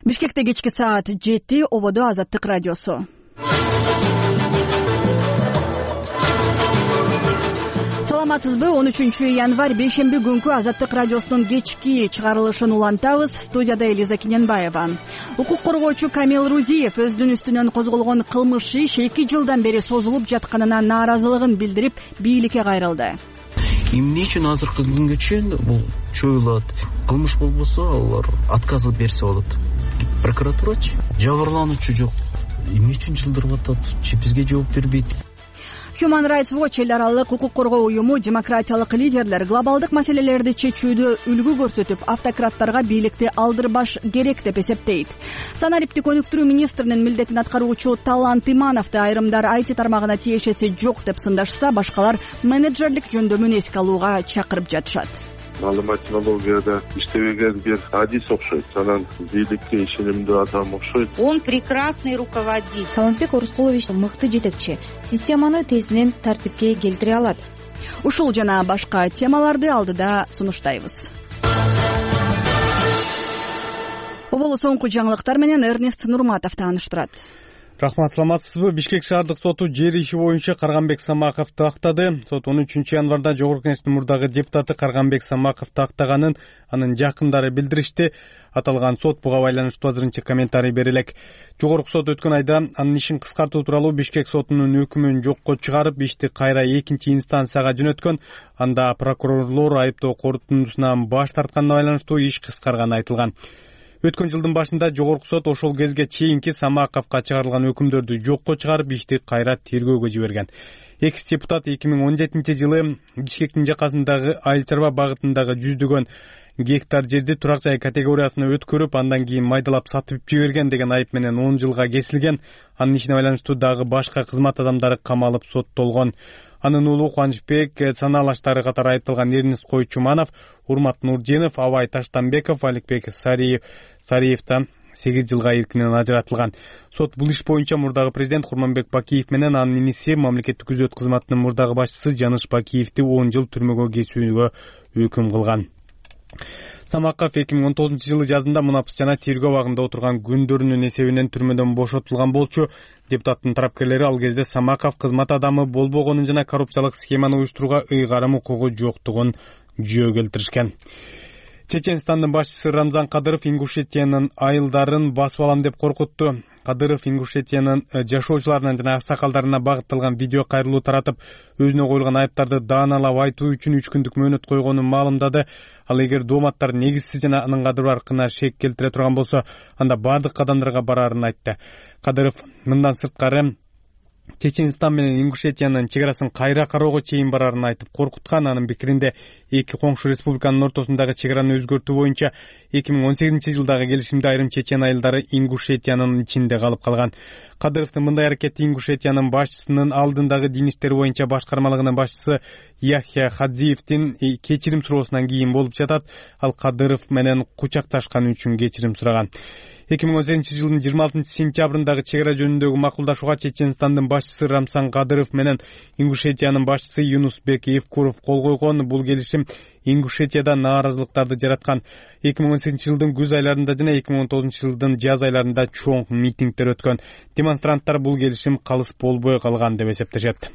Бишкекте кечки саат 7 ободо Азаттык радиосу. Саламатсызбы? 13-январь бейшемби күнкү Азаттык радиосунун кечки чыгарылышын улантабыз. Студияда Элиза Киненбаева. Укук коргоочу Камил Рузиев өзүнүн үстүнөн козголгон кылмыш иш 2 жылдан бери созулуп жатканына нааразылыгын билдирип, бийликке кайрылды. Эмне үчүн азыркы күнгө чейин бул чоюлат? Кылмыш болбосо алар отказ берсе болот. Прокуратурачы жабырлануучу жок. Эмне үчүн жылдырып атат? Бизге жооп бербейт. Human Rights Watch эл аралык укук коргоо уюму демократиялык лидерлер глобалдык маселелерди чечүүдө үлгү көрсөтүп, автократтарга бийликти алдырбаш керек деп эсептейт. Санариптик өнүктүрүү министринин милдетин аткаруучу Талант Имановду айрымдар IT тармагына тиешеси жок деп сындашса, башкалар менеджерлик жөндөмүн эске алууга чакырып жатышат. Маалымат технологияда иштебеген бир адис окшойт. Анан бийликке ишенимдүү адам окшойт. Он прекрасный руководитель. Талантбек Орускулович мыкты жетекчи. Системаны тезинен тартипке келтире алат. Ушул жана башка темаларды алдыда сунуштайбыз. Оболу соңку жаңылыктар менен Эрнест Нурматов тааныштырат. Рахмат, саламатсызбы? Бишкек шаардык соту жер иши боюнча Карганбек Самаковду актады. Сот 13-январда Жогорку Кеңештин мурдагы депутаты Карганбек Самаковду актаганын анын жакындары билдиришти. Аталган сот буга байланыштуу азырынча комментарий бере элек. Жогорку сот өткөн айда анын ишин кыскартуу тууралуу Бишкек сотунун өкүмүн жокко чыгарып, ишти кайра экинчи инстанцияга жөнөткөн. Анда прокурорлор айыптоо корутундусунан баш тартканына байланыштуу иш кыскарганы айтылган. Өткөн жылдын башында Жогорку сот ошол кезге чейинки Самаковго чыгарылган өкүмдөрдү жокко чыгарып, ишти кайра тергөөгө жиберген. Экс-депутат 2017-жылы Бишкектин жакасындагы айыл чарба багытындагы 100 гектар жерди турак жай категориясына өткөрүп, андан кийин майдалап сатып жиберген деген айып менен 10 жылга кесилген. Анын ишине байланыштуу дагы башка кызмат адамдары камалып соттолгон. Анын уулу Кубанычбек санаалаштары катары айыпталган Эрнест Койчуманов, Урмат Нурденов, Абай Таштанбеков, Аликбек Сариевден 8 жылга эркинен ажыратылган. Сот бул иш боюнча мурдагы президент Курманбек Бакиев менен анын иниси мамлекеттик күзөт кызматынын мурдагы башчысы Жаныш Бакиевди 10 жыл түрмөгө кесүүгө өкүм кылган. Самаков 2019-жылы жазында мунапыс жана тергөө абагында отурган күндөрүнүн эсебинен түрмөдөн бошотулган болчу. Депутаттын тарапкерлери ал кезде Самаков кызмат адамы болбогонун жана коррупциялык схеманы уюштурууга ыйгарым укугу жоктугун жөө келтиришкен. Чеченстандын башчысы Рамзан Кадыров Ингушетиянын айылдарын басып алам деп коркутту. Кадыров Ингушетиянын жашоочуларына жана аксакалдарына багытталган видео кайрылуу таратып, өзүнө коюлган айыптарды дааналап айтуу үчүн 3 күндүк мөөнөт койгонун маалымдады. Ал эгер дооматтар негизсиз жана анын кадырларына шек келтире турган болсо, анда бардык кадамдарга барарын айтты. Кадыров мындан сырткары Чеченстан менен Ингушетиянын чегарасын кайра кароого чейин барарын айтып коркуткан. Анын пикиринде эки коңшу республиканын ортосундагы чегараны өзгөртүү боюнча 2018-жылдагы келишимде айрым чечен айылдары Ингушетиянын ичинде калып калган. Кадыровдун мындай аракети Ингушетиянын башчысынын алдындагы дин иштери боюнча башкармалыгынын башчысы Яхья Хадзиевдин кечирим суроосунан кийин болуп жатат. Ал Кадыров менен кучакташканы үчүн кечирим сураган. 2018-жылдын 26-сентябрындагы чегара жөнүндөгү макулдашууга Чеченстандын башчысы Рамсан Кадыров менен Ингушетиянын башчысы Юнусбек Евкуров кол койгон. Бул келишим Ингушетияда нааразылыктарды жараткан. 2018-жылдын күз айларында жана 2019-жылдын жаз айларында чоң митингдер өткөн. Демонстранттар бул келишим калыс болбой калган деп эсептешет.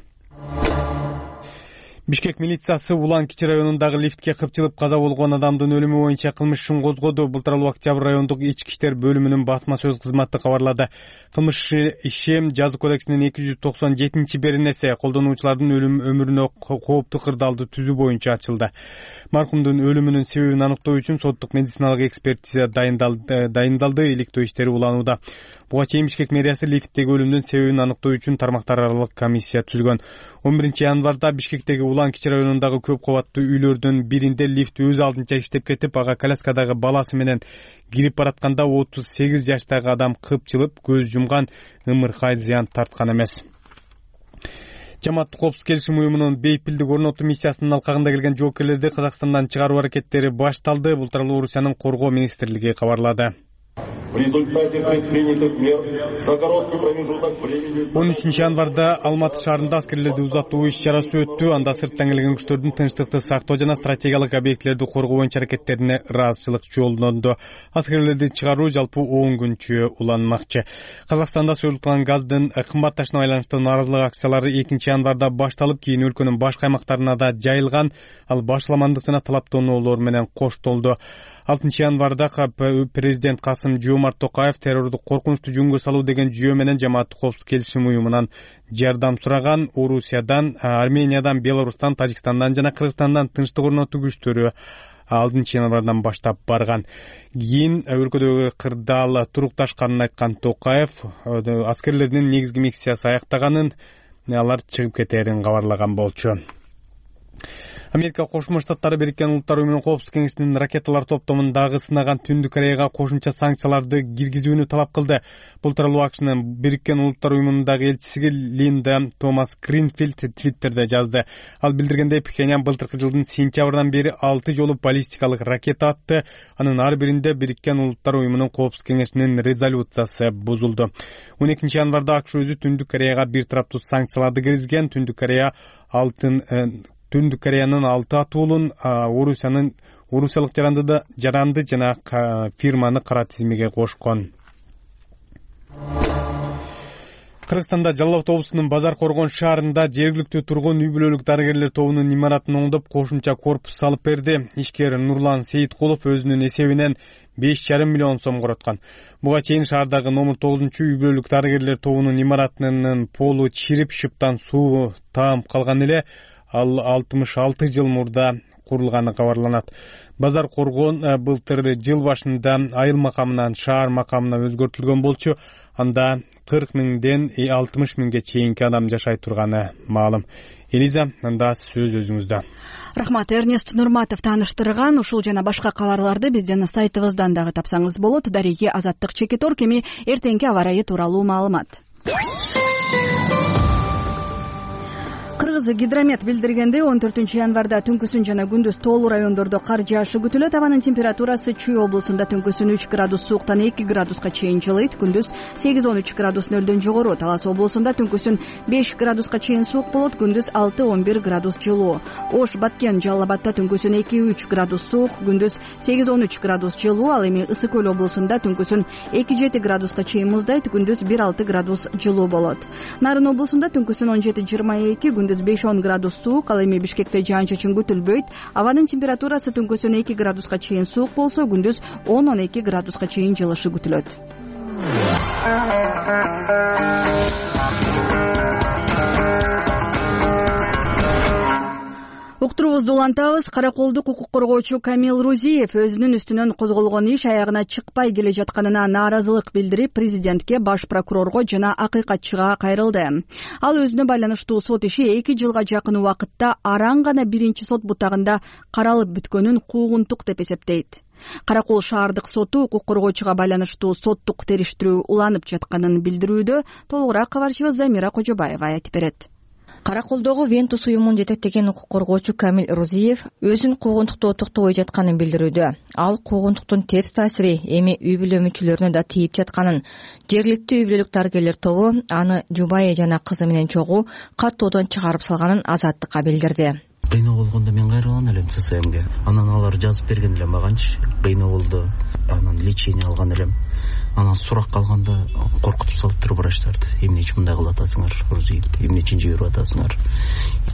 Бишкек милициясы Улан-Кичи районундагы лифтке кыпчылып каза болгон адамдын өлүмү боюнча кылмыш ишин козгоду. Бул тууралуу Октябрь райондук ички иштер бөлүмүнүн басма сөз кызматы кабарлады. Кылмыш иши Жаза кодексинин 297-беренеси колдонуучулардын өлүм өмүрүнө кооптуу кырдаалды түзүү боюнча ачылды. Маркумдун өлүмүнүн себебин аныктоо үчүн соттук медициналык экспертиза дайындалды. Иликтөө иштери уланууда. Буга чейин Бишкек мэриясы лифттеги өлүмдүн себебин аныктоо үчүн тармактар аралык комиссия түзгөн. 11-январда Бишкектеги Улан-Кичи районундагы көп кабаттуу үйлөрдүн биринде лифт өз алдынча иштеп кетип, ага коляскадагы баласы менен кирип баратканда 38 жаштагы адам кыпчылып көз жумган. Ымыркай зыян тарткан эмес. Жамааттык коопсуздук келишим уюмунун бейпилдик орнотуу миссиясынын алкагында келген жоокерлерди Казакстандан чыгаруу аракеттери башталды. Бул тууралуу Орусиянын коргоо министрлиги кабарлады. В результате предпринятых мер за короткий промежуток времени 13 январда Алматы шаарында аскерлерди узатуу иш-чарасы өттү. Анда сырттан келген күчтөрдүн тынчтыкты сактоо жана стратегиялык объектилерди коргоо боюнча аракеттерине ыраазычылык жолдонду. Аскерлерди чыгаруу жалпы 10 күнчө уланмакчы. Казакстанда союлтулган газдын кымбатташына байланыштуу нааразылык акциялары 2 январда башталып, кийин өлкөнүн башка аймактарына да жайылган. Ал башаламандык жана талаптоонуулор менен коштолду. 6 январда президент Касым-Жомарт Токаев террорду коркунучтуу жөнгө салуу деген жүйө менен жамааттык коопсуздук келишим уюмунан жардам сураган. Орусиядан, Армениядан, Беларустан, Тажикстандан жана Кыргызстандан тынчтык орнотуу күчтөрү 6 январдан баштап барган. Кийин өлкөдөгү кырдаал турукташканын айткан Токаев аскерлердин негизги миссиясы аяктаганын, алар чыгып кетерин кабарлаган болчу. Америка Кошмо Штаттары Бириккен Улуттар Уюмунун Коопсуздук кеңесинин ракеталар топтомундагы сынаган Түндүк Кореяга кошумча санкцияларды киргизүүнү талап кылды. Бул тууралуу АКШнын Бириккен Улуттар Уюмундагы элчиси Линда Томас Гринфилд Твиттерде жазды. Ал билдиргендей, Пхеньян былтыркы жылдын сентябрынан бери 6 жолу баллистикалык ракета атты. Анын ар биринде Бириккен Улуттар Уюмунун Коопсуздук кеңешинин резолюциясы бузулду. 12 январда АКШ өзү Түндүк Кореяга бир тараптуу санкцияларды киргизген. Түндүк Кореянын 6 атуулун орусиялык жаранды жана фирманы кара тизимге кошкон. Кыргызстанда Жалал Абад облусунун Базар Коргон шаарында жергиликтүү тургун үй бүлөлүк дарыгерлер тобунун имаратын оңдоп кошумча корпус салып берди. Ишкер Нурлан Сейиткулов өзүнүн эсебинен 5,5 миллион сом короткон. Буга чейин шаардагы номер 9-үй бүлөлүк дарыгерлер тобунун имаратынын полу чирип, шыптан суу таап калган эле. Ал 66 жыл мурда курулганы кабарланат. Базар Коргон былтыр жыл башында айыл макамынан шаар макамына өзгөртүлгөн болчу. Анда 40 миңден 60 миңге чейинки адам жашай турганы маалым. Элиза, анда сөз өзүңүздө. Рахмат, Эрнест Нурматов тааныштырган. Ушул жана башка кабарларды биздин сайтыбыздан дагы тапсаңыз болот. Дареги Азаттык Чекитор кеми эртеңки аба ырайы тууралуу маалымат. Кыргыз гидромет билдиргендей, 14 январда түнкүсүн жана күндүз тоолуу райондордо кар жаашы күтүлөт. Абанын температурасы Чүй облусунда түнкүсүн 3 градус сууктан 2 градуска чейин жылыйт, күндүз 8-13 градус нөлдөн жогору. Талас облусунда түнкүсүн 5 градуска чейин суук болот, күндүз 6-11 градус жылуу. Ош, Баткен, Жалал Абадта түнкүсүн 2-3 градус суук, күндүз 8-13 градус жылуу. Ал эми Ысык Көл облусунда түнкүсүн 2-7 градуска чейин муздайт, күндүз 1-6 градус жылуу болот. Нарын облусунда түнкүсүн 17-22, күндүз 5-10 градус суук. Ал эми Бишкекте жаан-чачын күтүлбөйт. Абанын температурасы түнкүсүн 2 градуска чейин суук болсо, күндүз 10-12 градуска чейин жылышы күтүлөт. Уктуруубузду улантабыз. Караколдук укук коргоочу Камил Рузиев өзүнүн үстүнөн козголгон иш аягына чыкпай келе жатканына нааразылык билдирип, президентке, баш прокурорго жана акыйкатчыга кайрылды. Ал өзүнө байланыштуу сот иши 2 жылга жакын убакытта араң гана биринчи сот бутагында каралып бүткөнүн куугунтук деп эсептейт. Каракол шаардык соту укук коргоочуга байланыштуу соттук териштирүү уланып жатканын билдирүүдө. Толугураак кабарчыбыз Замира Кожобаева айтып берет. Караколдогу Вентус уюмун жетектеген укук коргоочу Камил Рузиев өзүн куугунтукту токтобой жатканын билдирүүдө. Ал куугунтуктун терс таасири эми үй бүлө мүчөлөрүнө да тийип жатканын, жергиликтүү үй бүлөлүк дарыгерлер тобу аны жубайы жана кызы менен чогуу каттоодон чыгарып салганын Азаттыкка билдирди. Кыйноо болгондо мен кайрылган элем ЦСМге. Анан алар жазып берген эле маганчы. Кыйноо болду. Анан лечение алган элем. Анан сурак калганда коркутуп салыптыр врачтарды. Эмне үчүн мындай кылып атасыңар, Рузиев? Эмне үчүн жиберип атасыңар?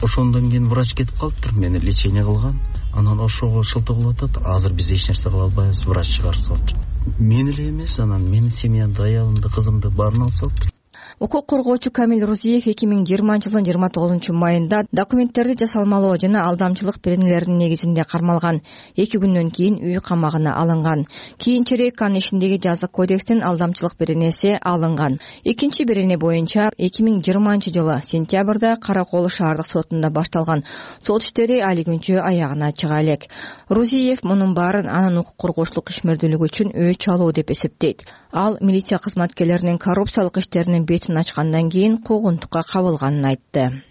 Ошондон кийин врач кетип калыптыр, мени лечение кылган. Анан ошого шылтоо кылып атат. Азыр биз эч нерсе кыла албайбыз, врач чыгарып салыптыр. Мен эле эмес, анан менин семьямды, аялымды, кызымды баарын алып салыптыр. Укук коргоочу Камил Рузиев 2020 жылдын 29 майында документтерди жасалмалоо жана алдамчылык беренелеринин негизинде кармалган. 2 күндөн кийин үй камагына алынган. Кийинчерээк анын ишиндеги жазык кодекстин алдамчылык беренеси алынган. Экинчи берене боюнча 2020 жылы сентябрда Каракол шаардык сотунда башталган сот иштери али күнчө аягына чыга элек. Рузиев мунун баарын анын укук коргоочулук ишмердүүлүгү үчүн өч алуу деп эсептейт. Ал милиция кызматкерлеринин коррупциялык иштеринин бетин ачкандан кийин куугунтукка кабылганын айтты.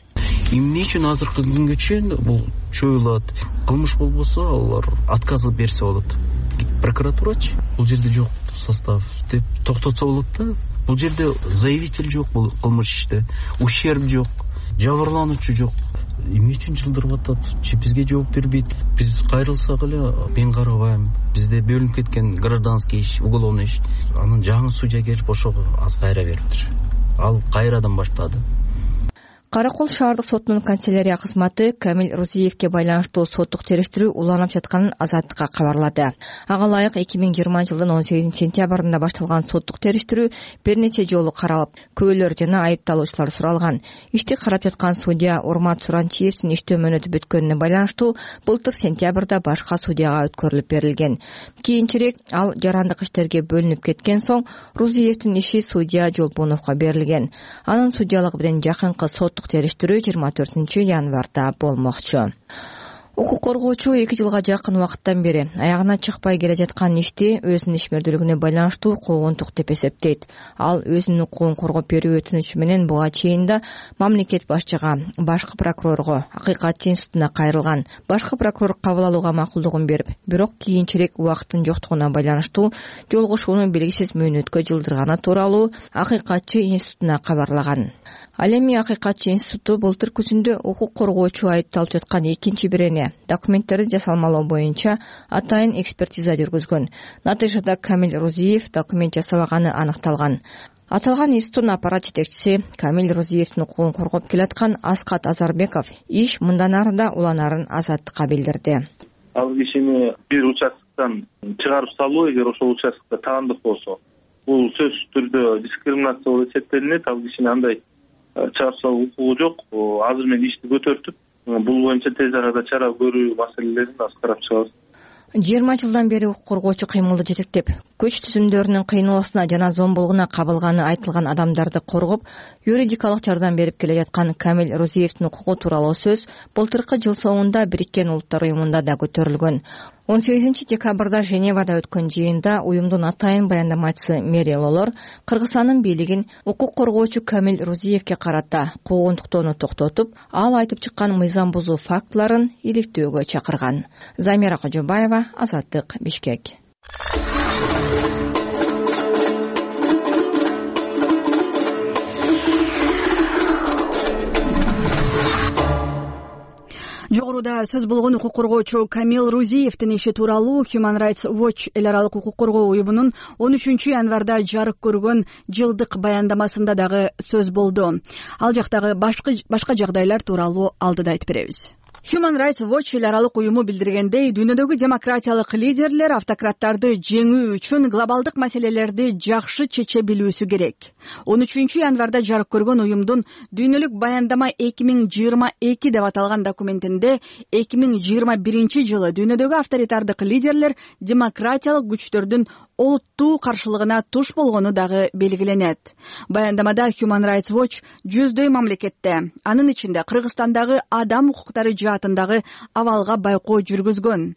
Эмне үчүн азыркы күнгө чейин бул чоюлат? Кылмыш болбосо алар отказ берсе болот. прокуратурачы бул жерде жок состав деп токтотсо болот да. Бул жерде заявитель жок, бул кылмыш иште ущерб жок, жабырлануучу жок. Эмне үчүн жылдырып атат? Бизге жооп бербейт. Биз кайрылсак эле мен карабайм. Бизде бөлүнүп кеткен гражданский иш, уголовный иш. Анын жаңы судья келип ошого аз кайра бериптир. Ал кайрадан баштады. Кара Кол шаардык сотунун канцелярия кызматы Камил Рузиевке байланыштуу соттук териштирүү уланып жатканын Азаттыкка кабарлады. Ага ылайык 2020 жылдын 18 сентябрында башталган соттук териштирүү бир нече жолу каралып, күбөлөр жана айыпталуучулар суралган. Ишти карап жаткан судья Урмат Суранчиевдин иштөө мөөнөтү бүткөнүнө байланыштуу былтыр сентябрда башка судьяга өткөрүлүп берилген. Кийинчерээк ал жарандык иштерге бөлүнүп кеткен соң Рузиевдин иши судья Жолбоновго берилген. Анын судьялыгы менен жакынкы соттук териштирүү 24 январда болмокчу. Укук коргоочу 2 жылга жакын убакыттан бери аягына чыкпай келе жаткан ишти өзүнүн ишмердүүлүгүнө байланыштуу куугунтук деп эсептейт. Ал өзүнүн укугун коргоп берүү өтүнүчү менен буга чейин да мамлекет башчыга, башкы прокурорго, Акыйкатчы институтуна кайрылган. Башкы прокурор кабыл алууга макулдугун берип, бирок кийинчерээк убакыттын жоктугуна байланыштуу жолугушууну белгисиз мөөнөткө жылдырганы тууралуу Акыйкатчы институтуна кабарлаган. Ал эми Акыйкатчы институту былтыр күзүндө укук коргоочу айыпталып жаткан экинчи бирене документтерди жасалмалоо боюнча атайын экспертиза жүргүзгөн. Натыйжада Камил Рузиев документ жасабаганы аныкталган. Аталган институттун аппарат жетекчиси Камил Рузиевдин укугун коргоп келаткан Аскат Азарбеков иш мындан ары да уланарын Азаттыкка билдирди. Ал кишини бир участоктон чыгарып салуу, эгер ошол участокто таандык болсо, бул сөзсүз түрдө дискриминация болуп эсептелинет. Ал кишини андай чыгарып салуу укугу жок. Азыр мен ишти көтөртүп, бул боюнча тез арада чара көрүү маселелерин аз карап чыгабыз. 20 жылдан бери укук коргоочу кыймылды жетектеп, күч түзүмдөрүнүн кыйноосуна жана зомбулугуна кабылганы айтылган адамдарды коргоп, юридикалык жардам берип келе жаткан Камил Рузиевдин укугу тууралуу сөз былтыркы жыл соңунда Бириккен Улуттар уюмунда да көтөрүлгөн. 18 декабрда Женевада өткөн жыйында уюмдун атайын баяндамачысы Мери Лолор Кыргызстандын бийлигин укук коргоочу Камил Рузиевке карата куугунтуктоону токтотуп, ал айтып чыккан мыйзам бузуу фактыларын иликтөөгө чакырган. Замира Кожобаева, Азаттык, Бишкек. Жогоруда сөз болгон укук коргоочу Камил Рузиевдин иши тууралуу Human Rights Watch эл аралык укук коргоо уюмунун 13 январда жарык көргөн жылдык баяндамасында дагы сөз болду. Ал жактагы башка жагдайлар тууралуу алдыда айтып беребиз. Human Rights Watch эл аралык уюму билдиргендей, дүйнөдөгү демократиялык лидерлер автократтарды жеңүү үчүн глобалдык маселелерди жакшы чече билүүсү керек. 13 январда жарык көргөн уюмдун дүйнөлүк баяндама 2022 деп аталган документинде 2021 жылы дүйнөдөгү авторитардык лидерлер демократиялык күчтөрдүн олуттуу каршылыгына туш болгону дагы белгиленет. Баяндамада Human Rights Watch жүздөй мамлекетте, анын ичинде Кыргызстандагы адам укуктары жаатындагы абалга байкоо жүргүзгөн.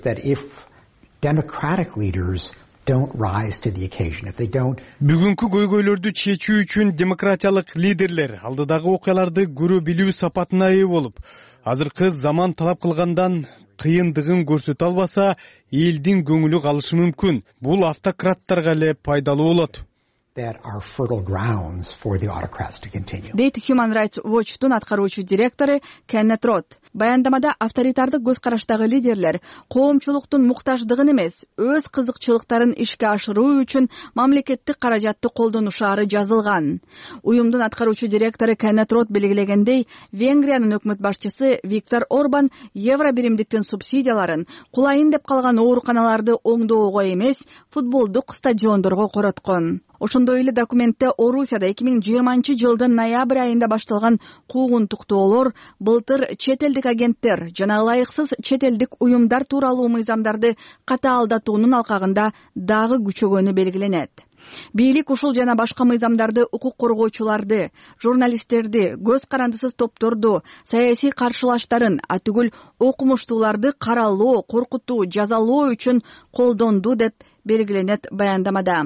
Бүгүнкү көйгөйлөрдү чечүү үчүн демократиялык лидерлер алдыдагы окуяларды көрө билүү сапатына ээ болуп, азыркы заман талап кылгандан кыйындыгын көрсөтө албаса, элдин көңүлү калышы мүмкүн. Бул автократтарга эле пайдалуу болот. Дейт Human Rights Watch'тун аткаруучу директору Кеннет Рот. Баяндамада авторитардык көз караштагы лидерлер коомчулуктун муктаждыгын эмес, өз кызыкчылыктарын ишке ашыруу үчүн мамлекеттик каражатты колдонушаары жазылган. Уюмдун аткаруучу директору Кеннет Рот белгилегендей, Венгриянын өкмөт башчысы Виктор Орбан евро биримдиктин субсидияларын кулайын деп калган ооруканаларды оңдоого эмес, футболдук стадиондорго короткон. Ошондой эле документте Орусияда 2020 жылдын ноябрь айында башталган куугунтуктоолор былтыр чет элдик агенттер жана ылайыксыз чет элдик уюмдар тууралуу мыйзамдарды катаалдатуунун алкагында дагы күчөгөнү белгиленет. Бийлик ушул жана башка мыйзамдарды укук коргоочуларды, журналисттерди, көз карандысыз топторду, саясий каршылаштарын, атүгүл окумуштууларды каралоо, коркутуу, жазалоо үчүн колдонду деп белгиленет баяндамада.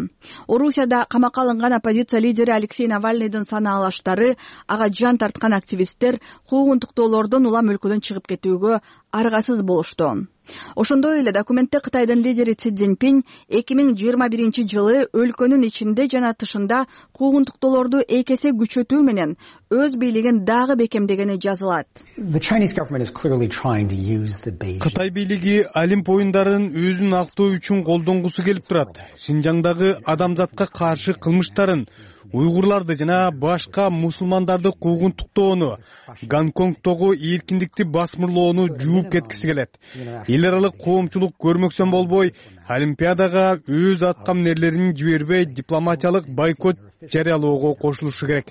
Орусияда камакка алынган оппозиция лидери Алексей Навальныйдын санаалаштары, ага жан тарткан активисттер куугунтуктоолордон улам өлкөдөн чыгып кетүүгө аргасыз болушту. Ошондой эле документте Кытайдын лидери Си Цзиньпин 2021-жылы өлкөнүн ичинде жана тышында куугунтуктоолорду эки эсе күчөтүү менен өз бийлигин дагы бекемдегени жазылат. Кытай бийлиги Олимп оюндарын өзүн актоо үчүн колдонгусу келип турат. Шинжаңдагы адамзатка каршы кылмыштарын, уйгурларды жана башка мусулмандарды куугунтуктоону, Гонконгдогу эркиндикти басмырлоону жууп кеткиси келет. Эл аралык коомчулук көрмөксөн болбой, Олимпиадага өз аткамнерлерин жибербей дипломатиялык бойкот жарыялоого кошулушу керек.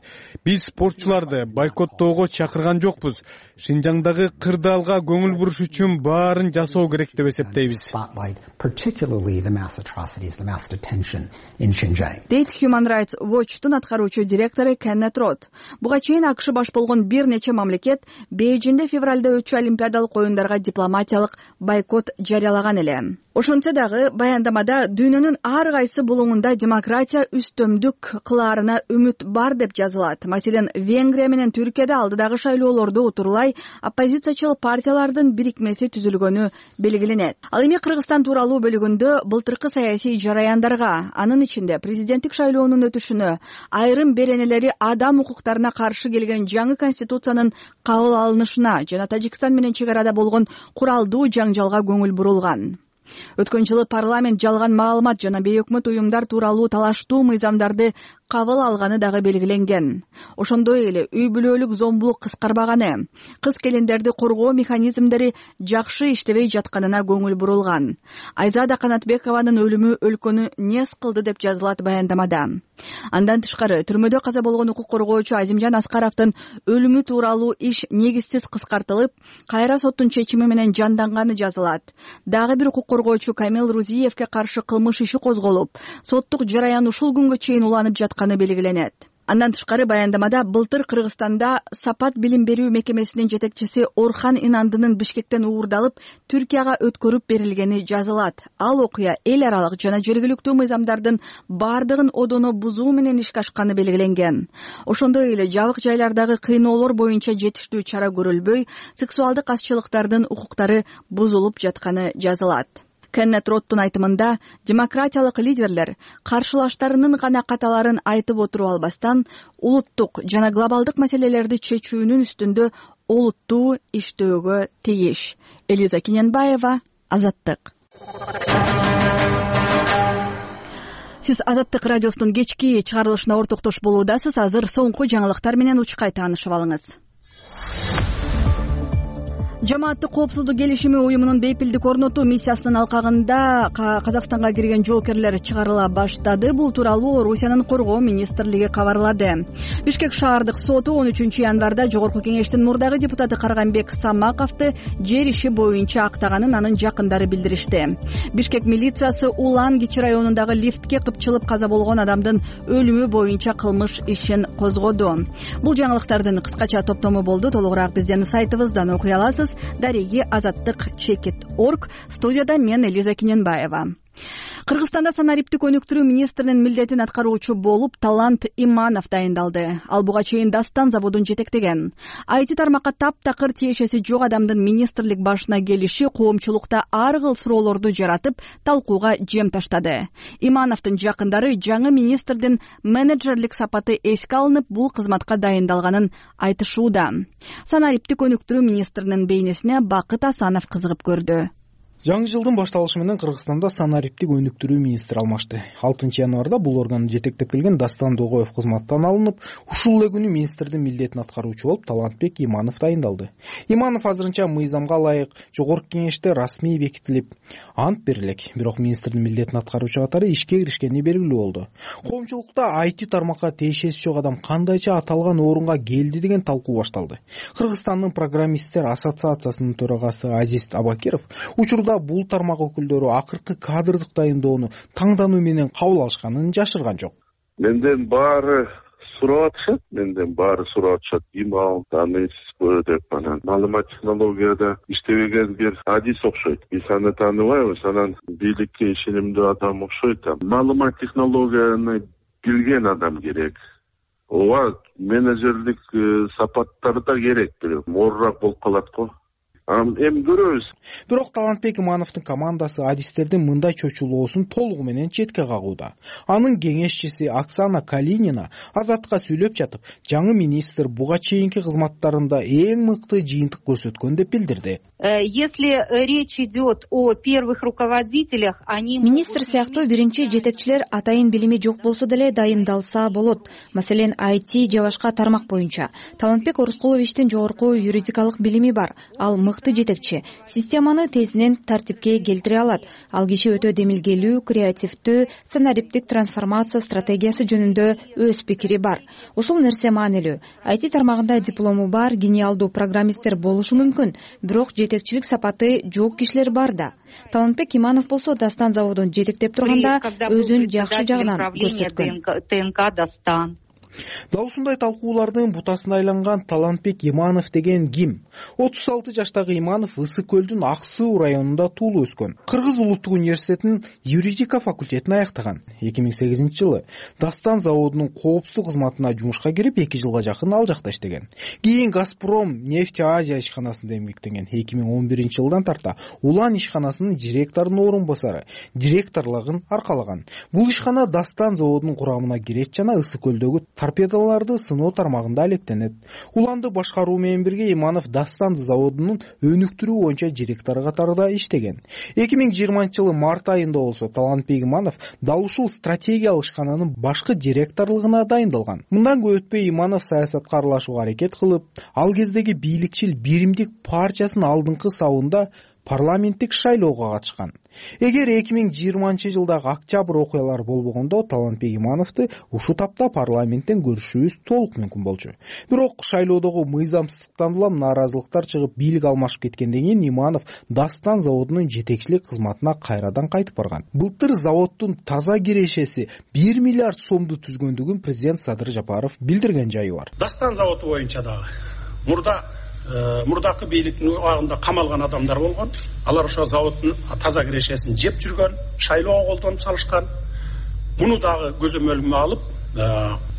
Биз спортчуларды бойкоттоого чакырган жокпуз. Шинжаңдагы кырдаалга көңүл буруш үчүн баарын жасоо керек деп эсептейбиз. Дейт Human Rights Watchtун аткаруучу директору Кеннет Рот. Буга чейин АКШ баш болгон бир нече мамлекет Бейжиңде февралда өтчү Олимпиадалык оюндарга дипломатиялык бойкот жарыялаган эле. Ошентсе дагы баяндамада дүйнөнүн ар кайсы булуңунда демократия үстөмдүк кылаарына үмүт бар деп жазылат. Маселен, Венгрия менен Түркияда алдыдагы шайлоолорду утурлай оппозициячыл партиялардын бирикмеси түзүлгөнү белгиленет. Ал эми Кыргызстан тууралуу бөлүгүндө былтыркы саясий жараяндарга, анын ичинде президенттик шайлоонун өтүшүнө, айрым беренелери адам укуктарына каршы келген жаңы конституциянын кабыл алынышына жана Тажикстан менен чек арада болгон куралдуу жаңжалга көңүл бурулган. Өткөн жылы парламент жалган маалымат жана бейөкмөт уюмдар тууралуу талаштуу мыйзамдарды кабыл алганы дагы белгиленген. Ошондой эле үй бүлөлүк зомбулук кыскарбаганы, кыз келиндерди коргоо механизмдери жакшы иштебей жатканына көңүл бурулган. Айзада Канатбекованын өлүмү өлкөнү нес кылды деп жазылат баяндамада. Андан тышкары түрмөдө каза болгон укук коргоочу Азимжан Аскаровдун өлүмү тууралуу иш негизсиз кыскартылып, кайра соттун чечими менен жанданганы жазылат. Дагы бир укук коргоочу Камил Рузиевке каршы кылмыш иши козголуп, соттук жараян ушул күнгө чейин уланып жатканы белгиленет. Андан тышкары баяндамада былтыр Кыргызстанда Сапат билим берүү мекемесинин жетекчиси Орхан Инандынын Бишкектен уурдалып, Түркияга өткөрүп берилгени жазылат. Ал окуя эл аралык жана жергиликтүү мыйзамдардын бардыгын одоно бузуу менен ишке ашканы белгиленген. Ошондой эле жабык жайлардагы кыйноолор боюнча жетиштүү чара көрүлбөй, сексуалдык азчылыктардын укуктары бузулуп жатканы жазылат. Кеннет Роттун айтымында, демократиялык лидерлер каршылаштарынын гана каталарын айтып отуруп албастан, улуттук жана глобалдык маселелерди чечүүнүн үстүндө олуттуу иштөөгө тийиш. Элиза Кененбаева, Азаттык. Сиз Азаттык радиосунун кечки чыгарылышына ортоктош болуудасыз. Азыр соңку жаңылыктар менен учкай таанышып алыңыз. Жамааттык коопсуздук келишими уюмунун бейпилдик орнотуу миссиясынын алкагында Казакстанга кирген жоокерлер чыгарыла баштады. Бул тууралуу Орусиянын коргоо министрлиги кабарлады. Бишкек шаардык соту 13 январда Жогорку кеңештин мурдагы депутаты Карганбек Самаковду жер иши боюнча актаганын анын жакындары билдиришти. Бишкек милициясы Улан Кичи районундагы лифтке кыпчылып каза болгон адамдын өлүмү боюнча кылмыш ишин козгоду. Бул жаңылыктардын кыскача топтому болду. Толугураак биздин сайтыбыздан окуй аласыз. Дареги Азаттык.org. Студияда мен Элиза Кененбаева. Кыргызстанда санариптик өнүктүрүү министринин милдетин аткаруучу болуп Талант Иманов дайындалды. Ал буга чейин Дастан заводун жетектеген. IT тармакка таптакыр тиешеси жок адамдын министрлик башына келиши коомчулукта ар кыл суроолорду жаратып, талкууга жем таштады. Имановдун жакындары жаңы министрдин менеджерлик сапаты эске алынып, бул кызматка дайындалганын айтышууда. Санариптик өнүктүрүү министринин бейнесине Бакыт Асанов кызыгып көрдү. Жаңы жылдын башталышы менен Кыргызстанда санариптик өнүктүрүү министри алмашты. 6 январда бул органды жетектеп келген Дастан Догоев кызматтан алынып, ушул эле күнү министрдин милдетин аткаруучу болуп Талантбек Иманов дайындалды. Иманов азырынча мыйзамга ылайык Жогорку кеңеште расмий бекитилип, ант берилек. Бирок министрдин милдетин аткаруучу катары ишке киришкени белгилүү болду. Коомчулукта IT тармакка тиешеси жок адам кандайча аталган орунга келди деген талкуу башталды. Кыргызстандын программисттер ассоциациясынын төрагасы Азиз Абакиров учурда бул тармак өкүлдөрү акыркы кадрдык дайындоону таңдануу менен кабыл алышканын жашырган жок. Менден баары сурап атышат. Имал, танысызбы деп анан маалымат технологияда иштебеген бир Адис окшойт. Биз аны тааныбайбыз, анан бийликке ишенимдүү адам окшойт. Маалымат технологияны билген адам керек. Ооба, менеджерлик сапаттары да керек, оорураак болуп калат го. эми көрөбүз. Бирок Талантбек Имановдун командасы адистердин мындай чочулоосун толугу менен четке кагууда. Анын кеңешчиси Оксана Калинина Азаттыкка сүйлөп жатып, жаңы министр буга чейинки кызматтарында эң мыкты жыйынтык көрсөткөн деп билдирди. Если речь идет о первых руководителях, они... Министр сыяктуу биринчи жетекчилер атайын билими жок болсо деле дайындалса болот. Маселен, IT же башка тармак боюнча. Талантбек Орускуловичтин жогорку юридикалык билими бар. Ал мыкты жетекчи. Системаны тезинен тартипке келтире алат. Ал киши өтө демилгелүү, креативдүү, сценариптик трансформация стратегиясы жөнүндө өз пикири бар. Ушул нерсе маанилүү. IT тармагында диплому бар, гениалдуу программисттер болушу мүмкүн, бирок жетекчилик сапаты жок кишилер бар да. Талантбек Иманов болсо Дастан заводун жетектеп турганда өзүн жакшы жагынан көрсөткөн. ТНК Дастан. Дал ушундай талкуулардын бутасына айланган Талантбек Иманов деген ким? 36 жаштагы Иманов Ысык көлдүн Ак Суу районунда туулуп өскөн. Кыргыз улуттук университетинин юридика факультетин аяктаган. 2008-жылы Дастан заводунун коопсуздук кызматына жумушка кирип 2 жылга жакын ал жакта иштеген. Кийин Газпром нефть Азия ишканасында эмгектенген. 2011-жылдан тарта Улан ишканасынын директорунун орун басары, директорлугун аркалаган. Бул ишкана Дастан заводунун курамына кирет жана Ысык көлдөгү торпедаларды сыноо тармагында алектенет. Уланды башкаруу менен бирге Иманов Дастан заводунун өнүктүрүү боюнча директору катарында иштеген. 2020-жылы март айында болсо Талантбек Иманов дал ушул стратегиялык ишкананын башкы директорлугуна дайындалган. Мындан көп өтпөй Иманов саясатка аралашууга аракет кылып, ал кездеги бийликчил Биримдик партиясынын алдыңкы сабында парламенттик шайлоого катышкан. Эгер 2020-жылдагы октябрь окуялары болбогондо Талантбек Имановду ушул тапта парламенттен көрүшүбүз толук мүмкүн болчу. Бирок шайлоодогу мыйзамсыздыктан улам нааразылыктар чыгып, бийлик алмашып кеткенден кийин Иманов Дастан заводунун жетекчилик кызматына кайрадан кайтып барган. Былтыр заводдун таза кирешеси 1 миллиард сомду түзгөндүгүн президент Садыр Жапаров билдирген жайы бар. Дастан заводу боюнча дагы мурдакы бийликтин убагында камалган адамдар болгон. Алар ошо заводдун таза кирешесин жеп жүргөн, шайлоого колдонуп салышкан. Муну дагы көзөмөлгө алып,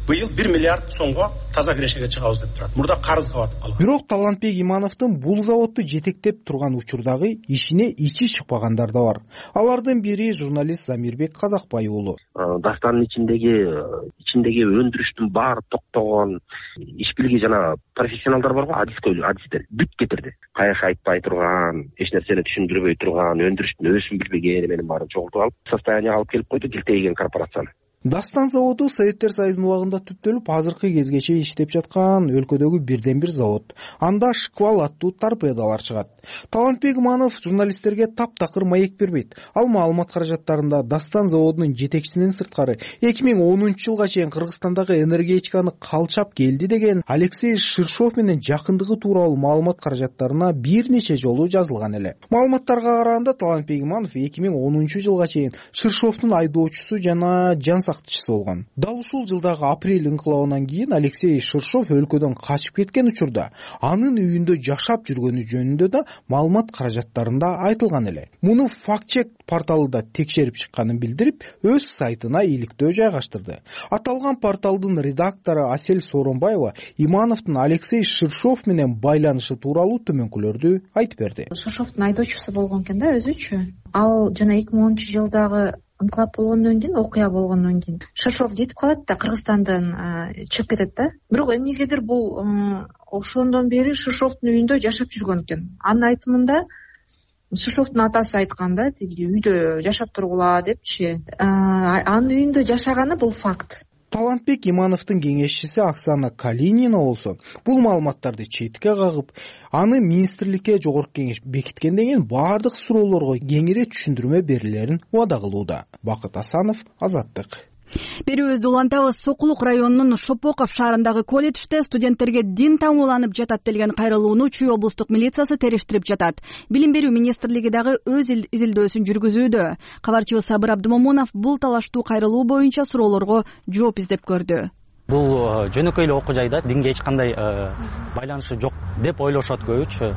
быйыл 1 миллиард сомго таза кирешеге чыгабыз деп турат. Мурда карызга батып калган. Бирок Талантбек Имановдун бул заводду жетектеп турган учурдагы ишине ичи чыкпагандар да бар. Алардын бири журналист Замирбек Казакбай уулу. Дастанын ичиндеги өндүрүштүн баары токтогон, иш билги жана профессионалдар барбы, адистер бүт кетирди. Каяш айтпай турган, эч нерсени түшүндүрбөй турган, өндүрүштүн өзүн билбеген менен баарын чогултуп алып, состоянияга алып келип койду тилтейген корпорацияны. Дастан заводу Советтер Союзунун убагында түптөлүп, азыркы кезге чейин иштеп жаткан өлкөдөгү бирден бир завод. Анда шквал аттуу торпедалар чыгат. Талантбек Иманов журналисттерге таптакыр маек бербейт. Ал маалымат каражаттарында Дастан заводунун жетекчисинин сырткары 2010-жылга чейин Кыргызстандагы энергетиканы калчап келди деген Алексей Ширшов менен жакындыгы тууралуу маалымат каражаттарына бир нече жолу жазылган эле. Маалыматтарга караганда Талантбек Иманов 2010-жылга чейин Ширшовдун айдоочусу жана сактчысы болгон. Дал ушул жылдагы апрель инкылабынан кийин Алексей Ширшов өлкөдөн качып кеткен учурда анын үйүндө жашап жүргөнү жөнүндө да маалымат каражаттарында айтылган эле. Муну факт-чек порталы да текшерип чыкканын билдирип, өз сайтына иликтөө жайгаштырды. Аталган порталдын редактору Асель Сооронбаева Имановдун Алексей Ширшов менен байланышы тууралуу төмөнкүлөрдү айтып берди. Ширшовдун айдоочусу болгон экен да өзүчү. Ал жана 2010-жылдагы инкылап болгондон кийин, окуя болгондон кийин Ширшов жетип калат да, Кыргызстандан чыгып кетет да. Бирок эмнегедир бул ошондон бери Ширшовдун үйүндө жашап жүргөн экен. Анын айтымында Ширшовдун атасы айткан да, тиги үйдө жашап тургула депчи. Анын үйүндө жашаганы бул факт. Талантбек Имановдун кеңешчиси Оксана Калинина болсо бул маалыматтарды четке кагып, аны министрликке жогорку кеңеш бекиткенден кийин баардык суроолорго кеңири түшүндүрмө берилерин убада кылууда. Бакыт Асанов, Азаттык. Берүүбүздү улантабыз. Сокулук районунун Шопоков шаарындагы колледжде студенттерге дин таңууланып жатат деген кайрылууну Чүй облустук милициясы териштирип жатат. Билим берүү министрлиги дагы өз изилдөөсүн жүргүзүүдө. Кабарчыбыз Сабыр Абдымомунов бул талаштуу кайрылуу боюнча суроолорго жооп издеп көрдү. Бул жөнөкөй эле окуу жайда динге эч кандай байланышы жок деп ойлошот көбүчү.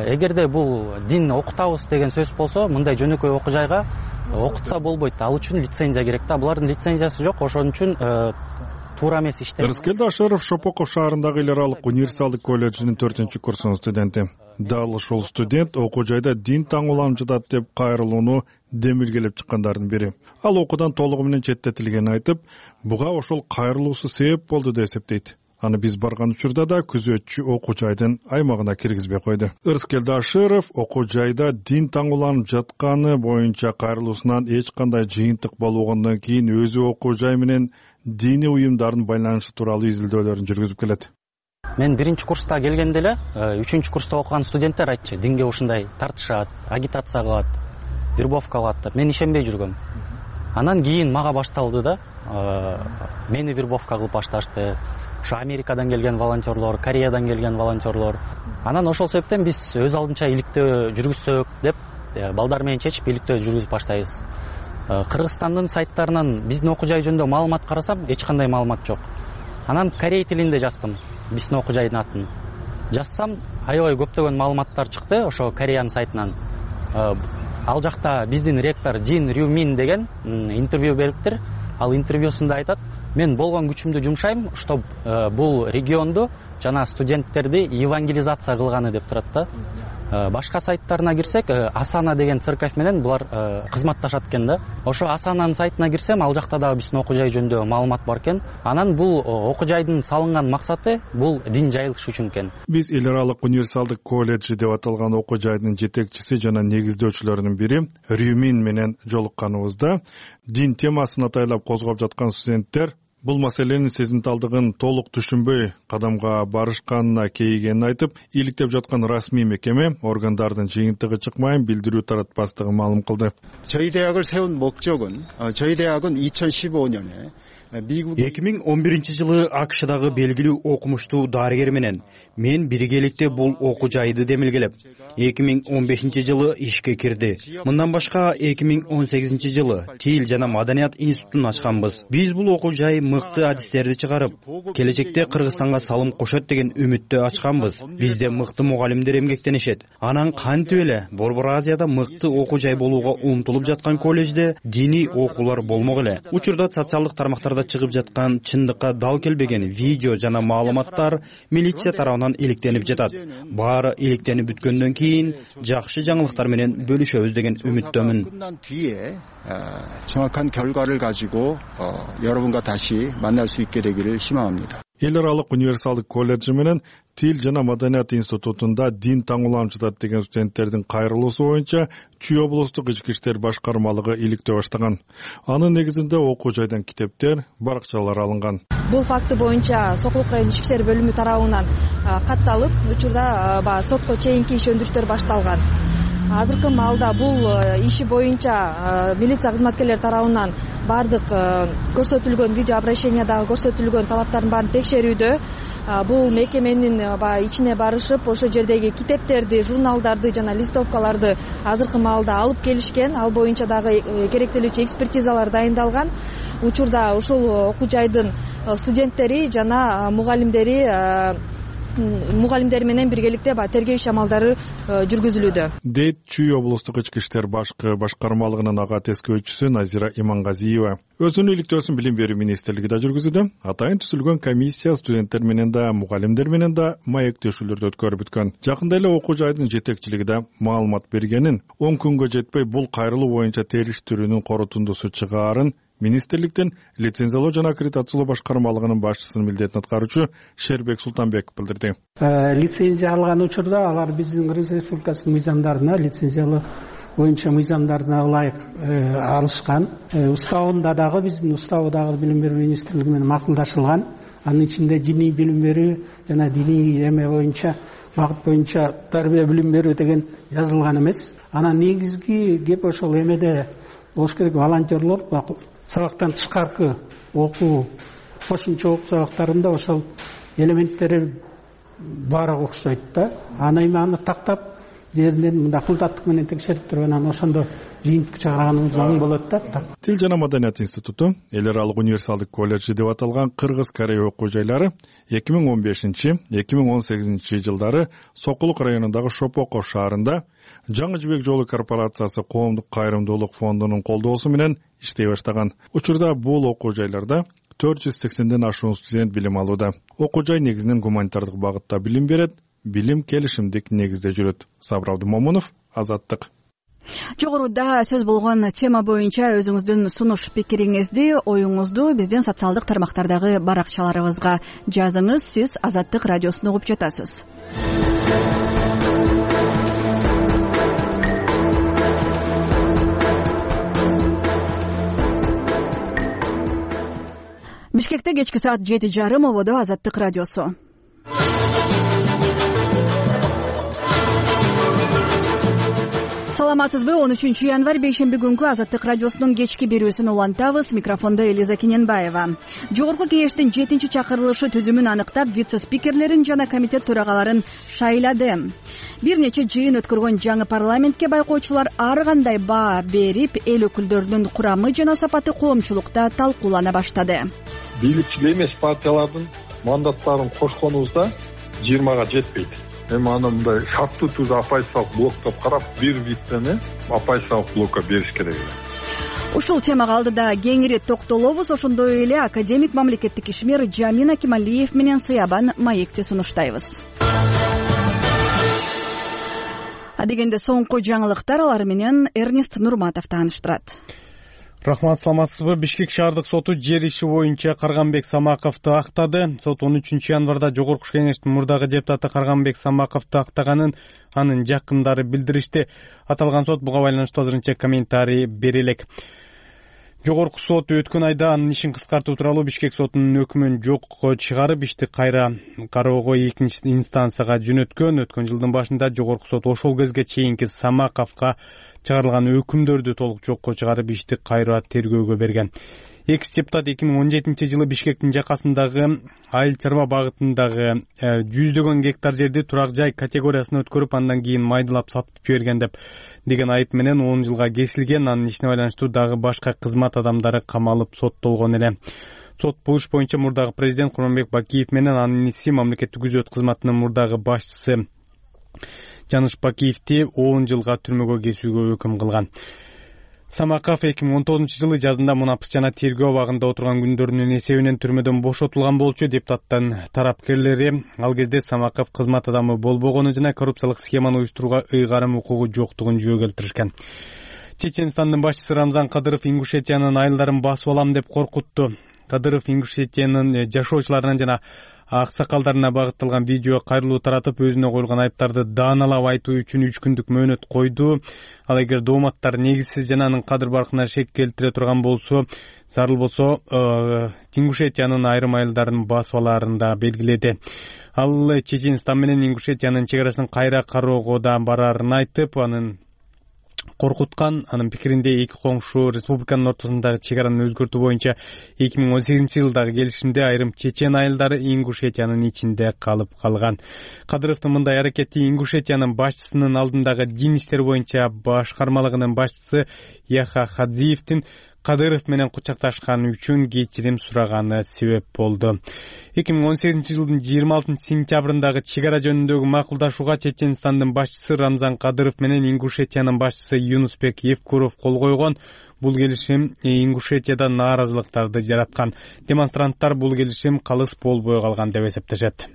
Эгерде бул дин окутабыз деген сөз болсо, мындай жөнөкөй окуу жайга окутса болбойт. Ал үчүн лицензия керек да. Булардын лицензиясы жок, ошон үчүн туура эмес иштеп. Рыскел Дашыров Шопоков шаарындагы эл аралык универсалдык колледжинин 4-курсунун студенти. Дал ошол студент окуу жайда дин таңууланып жатат деп кайрылууну демилгелеп чыккандардын бири. Ал окуудан толугу менен четтетилгенин айтып, буга ошол кайрылуусу себеп болду деп эсептейт. Аны биз барган учурда да күзөтчү окуу жайдын аймагына киргизбей койду. Ырыскелди Ашыров окуу жайда дин таңууланып жатканы боюнча кайрылуусунан эч кандай жыйынтык болбогондон кийин өзү окуу жай менен диний уюмдардын байланышы тууралуу изилдөөлөрүн жүргүзүп келет. Мен биринчи курста келгенде эле 3-курста окуган студенттер айтчу, динге ушундай тартышат, агитация кылат, вербовка кылат деп. Мен ишенбей жүргөм. Анан кийин мага башталды да, мени вербовка кылып башташты. Ошо Америкадан келген волонтерлор, Кореядан келген волонтерлор. Анан ошол себептен биз өз алдынча иликтөө жүргүзсөк деп балдар менен чечип иликтөө жүргүзүп баштайбыз. Кыргызстандын сайттарынан биздин окуу жай жөнүндө маалымат карасам, эч кандай маалымат жок. Анан корей тилинде жаздым биздин окуу жайдын атын. Жазсам, аябай көптөгөн маалыматтар чыкты ошо Кореянын сайтынан. Ал жакта биздин ректор Джин Рюмин деген интервью бериптир. Ал интервьюсунда айтат: мен болгон күчүмдү жумшайм, чтоб бул регионду жана студенттерди евангелизация кылганы деп турат да. Башка сайттарына кирсек, Асана деген церковь менен булар кызматташат экен да. Ошо Асананын сайтына кирсем, ал жакта дагы биздин окуу жай жөнүндө маалымат бар экен. Анан бул окуу жайдын салынган максаты бул дин жайылыш үчүн экен. Биз эл аралык универсалдык колледжи деп аталган окуу жайдын жетекчиси жана негиздөөчүлөрүнүн бири Рюмин менен жолукканыбызда дин темасын атайлап козгоп жаткан студенттер бул маселенин сезимталдыгын толук түшүнбөй кадамга барышканына кейигенин айтып, иликтеп жаткан расмий мекеме органдардын жыйынтыгы чыкмайын билдирүү таратпастыгын маалым кылды. 저희 대학을 세운 목적은 저희 대학은 2015년에 2011-жылы АКШдагы белгилүү окумуштуу дарыгер менен мен биргеликте бул окуу жайды демилгелеп, 2015-жылы ишке кирди. Мындан башка 2018-жылы Тил жана Маданият институтун ачканбыз. Биз бул окуу жай мыкты адистерди чыгарып, келечекте Кыргызстанга салым кошот деген үмүттө ачканбыз. Бизде мыкты мугалимдер эмгектенишет. Анан кантип эле Борбор Азияда мыкты окуу жай болууга умтулуп жаткан колледжде диний окуулар болмок эле. Учурда социалдык тармактарда чыгып жаткан чындыкка дал келбеген видео жана маалыматтар милиция тарабынан иликтенип жатат. Баары иликтенип бүткөндөн кийин жакшы жаңылыктар менен бөлүшөбүз деген үмүттөмүн. 정확한 결과를 가지고 여러분과 다시 만날 수 있게 되기를 희망합니다. эл аралык универсалдык колледжи менен Тил жана Маданият институтунда дин таңууланып жатат деген студенттердин кайрылуусу боюнча Чүй облустук ички иштер башкармалыгы иликтөө баштаган. Анын негизинде окуу жайдан китептер, баракчалар алынган. Бул факты боюнча Сокулук райондук ички иштер бөлүмү тарабынан катталып, учурда сотко чейинки иш өндүрүштөр башталган. Азыркы маалда бул иши боюнча милиция кызматкерлери тарабынан бардык көрсөтүлгөн видеообращениядагы көрсөтүлгөн талаптардын баарын текшерүүдө. Бул мекеменин ичине барышып, ошол жердеги китептерди, журналдарды жана листовкаларды азыркы маалда алып келишкен. Ал боюнча дагы керектелүүчү экспертизалар дайындалган. Учурда ушул окуу жайдын студенттери жана мугалимдери менен биргеликте тергөө иш амалдары жүргүзүлүүдө. Дейт Чүй облустук ички иштер башкармалыгынын ага тескөөчүсү Назира Имангазиева. Өзүнүн иликтөөсүн Билим берүү министрлиги да жүргүзүүдө. Атайын түзүлгөн комиссия студенттер менен да, мугалимдер менен да маектешүүлөрдү өткөрүп бүткөн. Жакында эле окуу жайдын жетекчилиги да маалымат бергенин, 10 күнгө жетпей бул кайрылуу боюнча териштирүүнүн корутундусу чыгаарын министрликтин лицензиялоо жана аккредитациялоо башкармалыгынын башчысынын милдетин аткаруучу Шербек Султанбеков билдирди. Лицензия алган учурда алар биздин Кыргыз Республикасынын мыйзамдарына, лицензиялоо боюнча мыйзамдарына ылайык алышкан. Уставында дагы биздин уставы дагы Билим берүү министрлиги менен макулдашылган. Анын ичинде диний билим берүү жана диний эме боюнча багыт боюнча тарбия билим берүү деген жазылган эмес. Анан негизги кеп ошол эмеде болуш керек, волонтерлор сабактан тышкаркы окуу, кошумча окуу сабактарында ошол элементтери баары окшойт да. Аны тактап, жеринен мындай кылдаттык менен текшерип туруп, анан ошондо жыйынтык чыгарганыбыз оң болот да. Тил жана Маданият институту эл аралык универсалдык колледжи деп аталган Кыргыз-Корей окуу жайлары 2015-2018 жылдары Сокулук районундагы Шопоков шаарында Жаңы жибек жолу корпорациясы коомдук кайрымдуулук фондунун колдоосу менен иштей баштаган. Учурда бул окуу жайларда 480ден ашуун студент билим алууда. Окуу жай негизинен гуманитардык багытта билим берет, билим келишимдик негизде жүрөт. Сабыр Абдумомунов, Азаттык. Жогоруда сөз болгон тема боюнча өзүңүздүн сунуш пикириңизди, оюңузду биздин социалдык тармактардагы баракчаларыбызга жазыңыз. Сиз Азаттык радиосун угуп жатасыз. Бишкекте кечки саат 7:30 ободо Азаттык радиосу. Саламатсызбы? 13 январь бейшемби күнкү Азаттык радиосунун кечки берүүсүн улантабыз. Микрофондо Элиза Кененбаева. Жогорку кеңештин 7-чакырылышы түзүмүн аныктап, вице-спикерлерин жана комитет төрагаларын шайлады. Бир нече жыйын өткөргөн жаңы парламентке байкоочулар ар кандай баа берип, эл өкүлдөрүнүн курамы жана сапаты коомчулукта талкуулана баштады. Бийликчил эмес партиялардын мандаттарын кошконубузда 20-га жетпейт. Эми аны мындай шарттуу түрдө оппозициялык блоктоп карап, бир виттени оппозициялык блокко бериш керек. Ушул темага алдыда кеңири токтолобуз. Ошондой эле академик мамлекеттик ишмер Жамин Акималиев менен Сыябан маекти сунуштайбыз. Адегенде соңку жаңылыктар, алар менен Эрнест Нурматов тааныштырат. Рахмат, саламатсызбы? Бишкек шаардык соту жер иши боюнча Карганбек Самаковду актады. Сот 13 январда Жогорку кеңештин мурдагы депутаты Карганбек Самаковду актаганын анын жакындары билдиришти. Аталган сот буга байланыштуу азырынча комментарий бере элек. Жогорку сот өткөн айда анын ишин кыскартуу тууралуу Бишкек сотунун өкүмүн жокко чыгарып, ишти кайра кароого экинчи инстанцияга жөнөткөн. Өткөн жылдын башында Жогорку сот ошол кезге чейинки Самаковго чыгарылган өкүмдөрдү толук жокко чыгарып, ишти кайра тергөөгө берген. Экс депутат 2017-жылы Бишкектин жакасындагы айыл чарба багытындагы 100 гектар жерди турак жай категориясына өткөрүп, андан кийин майдалап сатып жиберген деген айып менен 10 жылга кесилген. Анын ишине байланыштуу дагы башка кызмат адамдары камалып соттолгон эле. Сот бул иш боюнча мурдагы президент Курманбек Бакиев менен анын иниси мамлекеттик күзөт кызматынын мурдагы башчысы Жаныш Бакиевди 10 жылга түрмөгө кесүүгө өкүм кылган. Самаков 2019-жылы жазында мунапыс жана тергөө абагында отурган күндөрүнүн эсебинен түрмөдөн бошотулган болчу. Депутаттын тарапкерлери ал кезде Самаков кызмат адамы болбогону жана коррупциялык схеманы уюштурууга ыйгарым укугу жоктугун жөө келтиришкен. Чеченстандын башчысы Рамзан Кадыров Ингушетиянын айылдарын басып алам деп коркутту. Кадыров Ингушетиянын жашоочуларына жана аксакалдарына багытталган видео кайрылуу таратып, өзүнө коюлган айыптарды дааналап айтуу үчүн 3 күндүк мөөнөт койду. Ал эгер дооматтар негизсиз жана анын кадыр баркына шек келтире турган болсо, зарыл болсо Ингушетиянын айрым айылдарын басып алаарын да белгиледи. Ал Чеченстан менен Ингушетиянын чегарасын кайра кароого да бараарын айтып, анын коркуткан. Анын пикиринде эки коңшу республиканын ортосундагы чегараны өзгөртүү боюнча 2018-жылдагы келишимде айрым чечен айылдары Ингушетиянын ичинде калып калган. Кадыровдун мындай аракети Ингушетиянын башчысынын алдындагы дин иштери боюнча башкармалыгынын башчысы Яха Хадзиевдин Кадыров менен кучакташканы үчүн кечирим сураганы себеп болду. 2018-жылдын 26 сентябрындагы чегара жөнүндөгү макулдашууга Чеченстандын башчысы Рамзан Кадыров менен Ингушетиянын башчысы Юнусбек Евкуров кол койгон. Бул келишим Ингушетияда нааразылыктарды жараткан. Демонстранттар бул келишим калыс болбой калган деп эсептешет.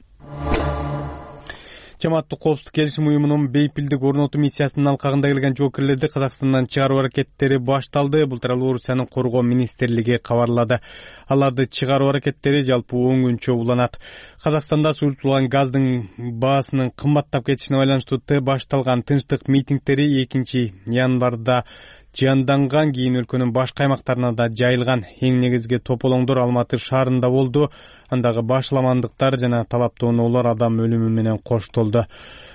Жамааттык коопсуздук келишим уюмунун бейпилдик орнотуу миссиясынын алкагында келген жоокерлерди Казакстандан чыгаруу аракеттери башталды. Бул тууралуу Орусиянын коргоо министрлиги кабарлады. Аларды чыгаруу аракеттери жалпы 10 күнчө уланат. Казакстанда суюртулган газдын баасынын кымбаттап кетишине байланыштуу башталган тынчтык митингдери 2 январда жанданган, кийин өлкөнүн башка аймактарына да жайылган. Эң негизги тополоңдор Алматы шаарында болду. Андагы башламандыктар жана талаптоонуулар адам өлүмү менен коштолду.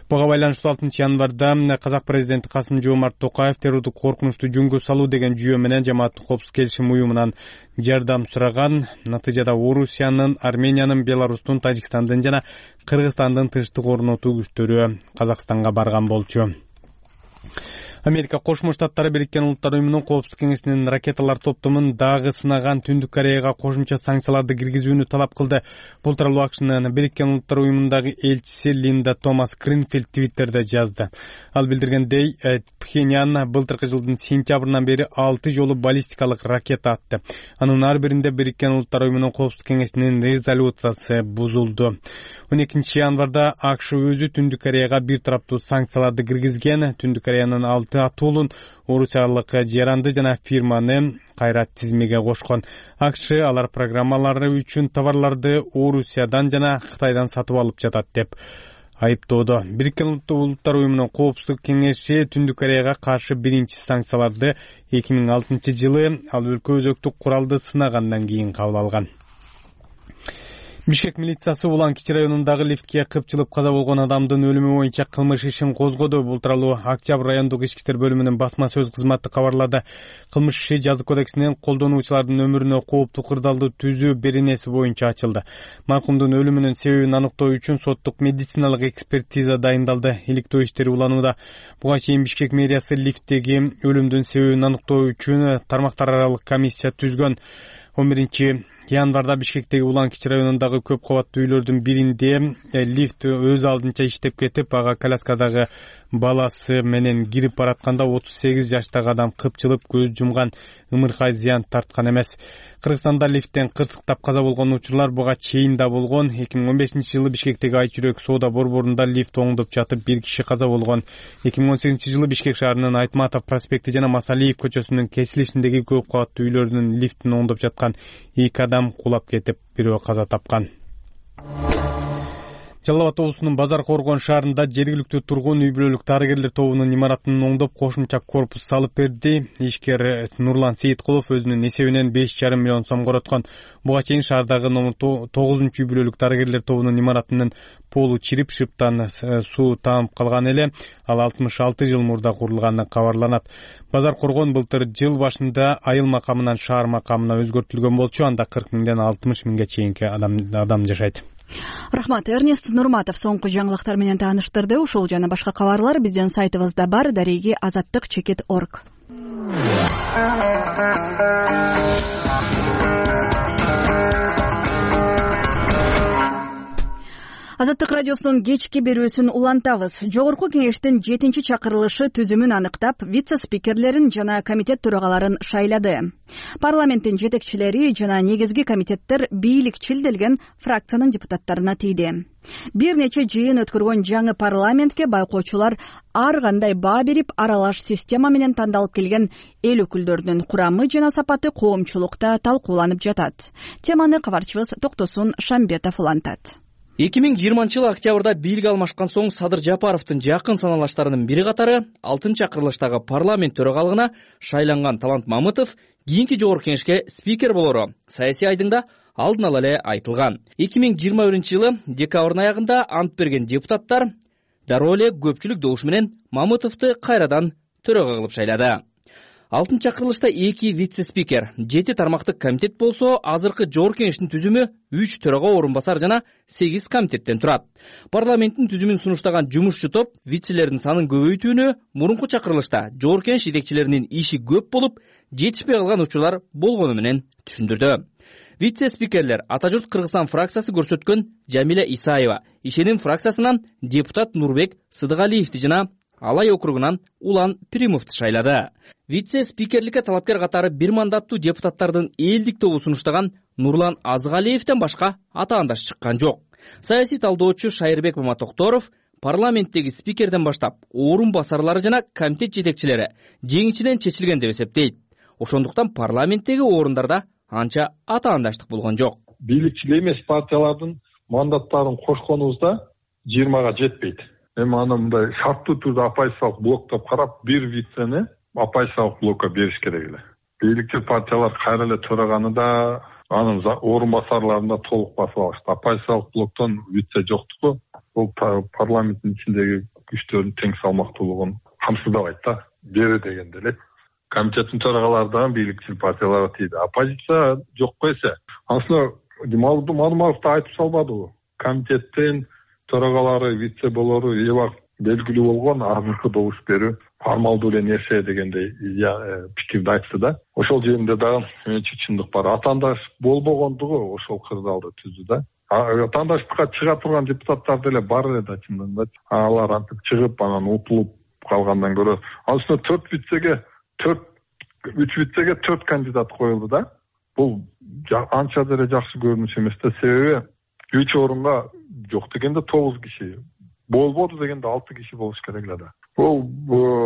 Буга байланыштуу 6 январда Казак президенти Касым-Жомарт Токаев террордук коркунучту жөнгө салуу деген жүйө менен жамааттык коопсуздук келишим уюмунан жардам сураган. Натыйжада Орусиянын, Армениянын, Беларустун, Тажикстандын жана Кыргызстандын тынчтык орнотуу күчтөрү Казакстанга барган болчу. Америка Кошмо Штаттары Бириккен Улуттар Уюмунун Коопсуздук кеңешинин ракеталар топтомун дагы сынаган Түндүк Кореяга кошумча санкцияларды киргизүүнү талап кылды. Бул тууралуу АКШнын Бириккен Улуттар Уюмундагы элчиси Линда Томас Гринфилд Твиттерде жазды. Ал билдиргендей, Пхеньян былтыркы жылдын сентябрынан бери 6 жолу баллистикалык ракета атты. Анын ар биринде Бириккен Улуттар Уюмунун Коопсуздук кеңешинин резолюциясы бузулду. 12 январда АКШ өзү Түндүк Кореяга бир тараптуу санкцияларды киргизген. Түндүк Кореянын 6 атуулун орусиялык жаранды жана фирманы кайра тизмеге кошкон. АКШ алар программалары үчүн товарларды Орусиядан жана Кытайдан сатып алып жатат деп айыптоодо. Бириккен Улуттар Уюмунун Коопсуздук кеңеши Түндүк Кореяга каршы биринчи санкцияларды 2006 жылы ал өлкө өзөктүк куралды сынагандан кийин кабыл алган. Бишкек милициясы Улан-Кичи районундагы лифтке кыпчылып каза болгон адамдын өлүмү боюнча кылмыш ишин козгоду. Бул тууралуу Октябрь райондук ички иштер бөлүмүнүн басма сөз кызматы кабарлады. Кылмыш иши жазык кодексинин колдонуучулардын өмүрүнө кооптуу кырдаалды түзүү беренеси боюнча ачылды. Маркумдун өлүмүнүн себебин аныктоо үчүн соттук медициналык экспертиза дайындалды. Иликтөө иштери уланууда. Буга чейин Бишкек мэриясы лифттеги өлүмдүн себебин аныктоо үчүн тармактар аралык комиссия түзгөн. 11 январда Бишкектеги Улан-Кичи районундагы көп кабаттуу үйлөрдүн биринде лифт өз алдынча иштеп кетип, ага коляскадагы баласы менен кирип баратканда 38 жаштагы адам кыпчылып көз жумган, ымыркай зыян тарткан эмес. Кыргызстанда лифттен кырсыктап каза болгон учурлар буга чейин да болгон. 2015 жылы Бишкектеги Айчүрөк соода борборунда лифт оңдоп жатып бир киши каза болгон. 2018 жылы Бишкек шаарынын Айтматов проспекти жана Масалиев көчөсүнүн кесилишиндеги көп кабаттуу үйлөрдүн лифтин оңдоп жаткан 2 адам кулап кетип, бирөө каза тапкан. Жалал Абад облусунун Базар Коргон шаарында жергиликтүү тургун үй бүлөлүк дарыгерлер тобунун имаратын оңдоп кошумча корпус салып берди. Ишкер Нурлан Сейиткулов өзүнүн эсебинен 5,5 миллион сом короткон. Буга чейин шаардагы номер 9-үй бүлөлүк дарыгерлер тобунун имаратынын полу чирип, шыптан суу таанып калган эле. Ал 66 жыл мурда курулганы кабарланат. Базар Коргон былтыр жыл башында айыл макамынан шаар макамына өзгөртүлгөн болчу. Анда 40 миңден 60 миңге чейинки адам жашайт. Рахмат, Эрнест Нурматов соңку жаңылыктар менен тааныштырды. Ушул жана башка кабарлар биздин сайтыбызда бар, дареги azаттык.org. Азаттык радиосунун кечки берүүсүн улантабыз. Жогорку кеңештин 7-чакырылышы түзүмүн аныктап, вице-спикерлерин жана комитет төрагаларын шайлады. Парламенттин жетекчилери жана негизги комитеттер бийликчил делген фракциянын депутаттарына тийди. Бир нече жыйын өткөргөн жаңы парламентке байкоочулар ар кандай баа берип, аралаш система менен тандалып келген эл өкүлдөрүнүн курамы жана сапаты коомчулукта талкууланып жатат. Теманы кабарчыбыз Токтосун Шамбетов улантат. 2020 жылы октябрда бийлик алмашкан соң Садыр Жапаровдун жакын саналаштарынын бири катары 6-чакырылыштагы парламент төрагалыгына шайланган Талант Мамытов кийинки жогорку кеңешке спикер болору саясий айдыңда алдын ала эле айтылган. 2021 жылы декабрдын аягында ант берген депутаттар дароо эле көпчүлүк добуш менен Мамытовду кайрадан төрага кылып шайлады. 6-чакырылышта 2 вице-спикер, 7 тармактык комитет болсо, азыркы жогорку кеңештин түзүмү 3 төрага орун басар жана 8 комитеттен турат. Парламенттин түзүмүн сунуштаган жумушчу топ вицелердин санын көбөйтүүнү мурунку чакырылышта жогорку кеңеш жетекчилеринин иши көп болуп, жетишпей калган учурлар болгону менен түшүндүрдү. Вице-спикерлер Ата журт Кыргызстан фракциясы көрсөткөн Жамиля Исаева, Ишеним фракциясынан депутат Нурбек Сыдыгалиевди жана Алай округунан Улан Примовду шайлады. Вице-спикерликке талапкер катары бир мандаттуу депутаттардын элдик тобу сунуштаган Нурлан Азгалиевден башка атаандаш чыккан жок. Саясий талдоочу Шайырбек Маматокторов парламенттеги спикерден баштап орун басарлары жана комитет жетекчилери жеңичинен чечилген деп эсептейт. Ошондуктан парламенттеги орундарда анча атаандаштык болгон жок. Бийликчил эмес партиялардын мандаттарын кошконубузда 20га жетпейт. Эми аны мындай шарттуу түрдө оппозициялык блоктоп карап, бир вицени оппозициялык блокко бериш керек эле. Бийликчил партиялар кайра эле төраганы да, анын орун басарларын да толук басып алышты. Оппозициялык блоктон вице жоктугу бул парламенттин ичиндеги күчтөрдүн тең салмактуулугун камсыздабайт да. Бери дегенде эле комитеттин төрагалары да бийликчил партияларга тийди. Оппозиция жокко эсе. Аслында Мадумаров да айтып салбадыбы? Комитеттин төрагалары, вице болору эбак белгилүү болгон азыркы добуш берүү формалдуу эле нерсе дегендей пикирди айтты да. Ошол жеринде дагы менимче чындык бар. Атаандаш болбогондугу ошол кырдаалды түздү да. Атаандаштыкка чыга турган депутаттар деле бар эле да чындыгында. Алар антип чыгып анан утулуп калгандан көрө анын үстүнө 3 вицеге 4 кандидат коюлду да. Бул анча деле жакшы көрүнүш эмес да. Себеби 3 орунга жок дегенде 9 киши, болбоду дегенде 6 киши болуш керек эле да. Бул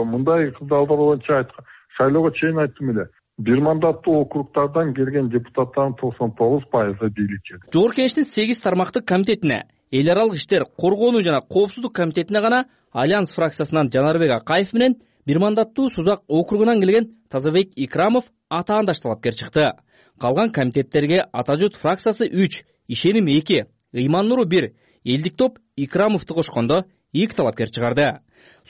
мындай кырдаалдар боюнча шайлоого чейин айттым эле. Бир мандаттуу округтардан келген депутаттардын 99% бийликчи. Жогорку Кеңештин 8 тармактык комитетине, эл аралык иштер, коргонуу жана коопсуздук комитетине гана Альянс фракциясынан Жанарбек Акаев менен бир мандаттуу Сузак округунан келген Тазабек Икрамов атаандаш талапкер чыкты. Калган комитеттерге Ата журт фракциясы 3, Ишеним 2, Ыйман Нуру 1, Элдик топ Икрамовду кошкондо 2 талапкер чыгарды.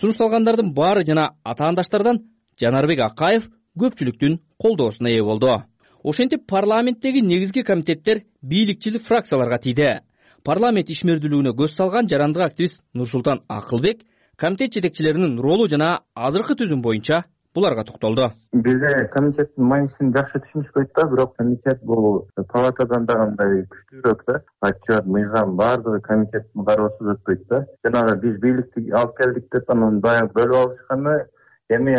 Сунушталгандардын баары жана атаандаштардан Жанарбек Акаев көпчүлүктүн колдоосуна ээ болду. Ошентип парламенттеги негизги комитеттер бийликчил фракцияларга тийди. Парламент ишмердүүлүгүнө көз салган жарандык активист Нурсултан Акылбек комитет жетекчилеринин ролу жана азыркы түзүм боюнча буларга токтолду. Бизде комитеттин маанисин жакшы түшүнүшпөйт да, бирок комитет бул палатадан да кандай күчтүүрөөк да. Отчет, мыйзам баардыгы комитеттин кароосуз өтпөйт да. Жанагы биз бийликти алып келдик деп анан баягы бөлүп алышканда эми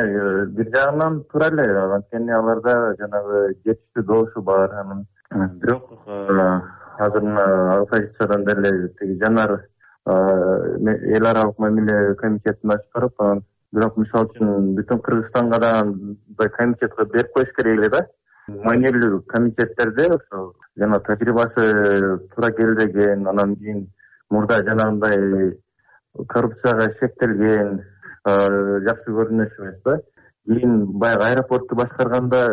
бир жагынан туура эле, анткени аларда жанагы жетиштүү добушу бар. Анан бирок азыр оппозициядан деле тиги Жанар эл аралык мамиле комитетин ачып барып, анан бирок мисалы үчүн бүтүн Кыргызстанга да комитетке берип коюш керек эле да. Маанилүү комитеттерде ошо жана тажрыйбасы туура келбеген, анан кийин мурда жанагындай коррупцияга шектелген жакшы көрүнүш эмес да. Кийин баягы аэропортту башкарганда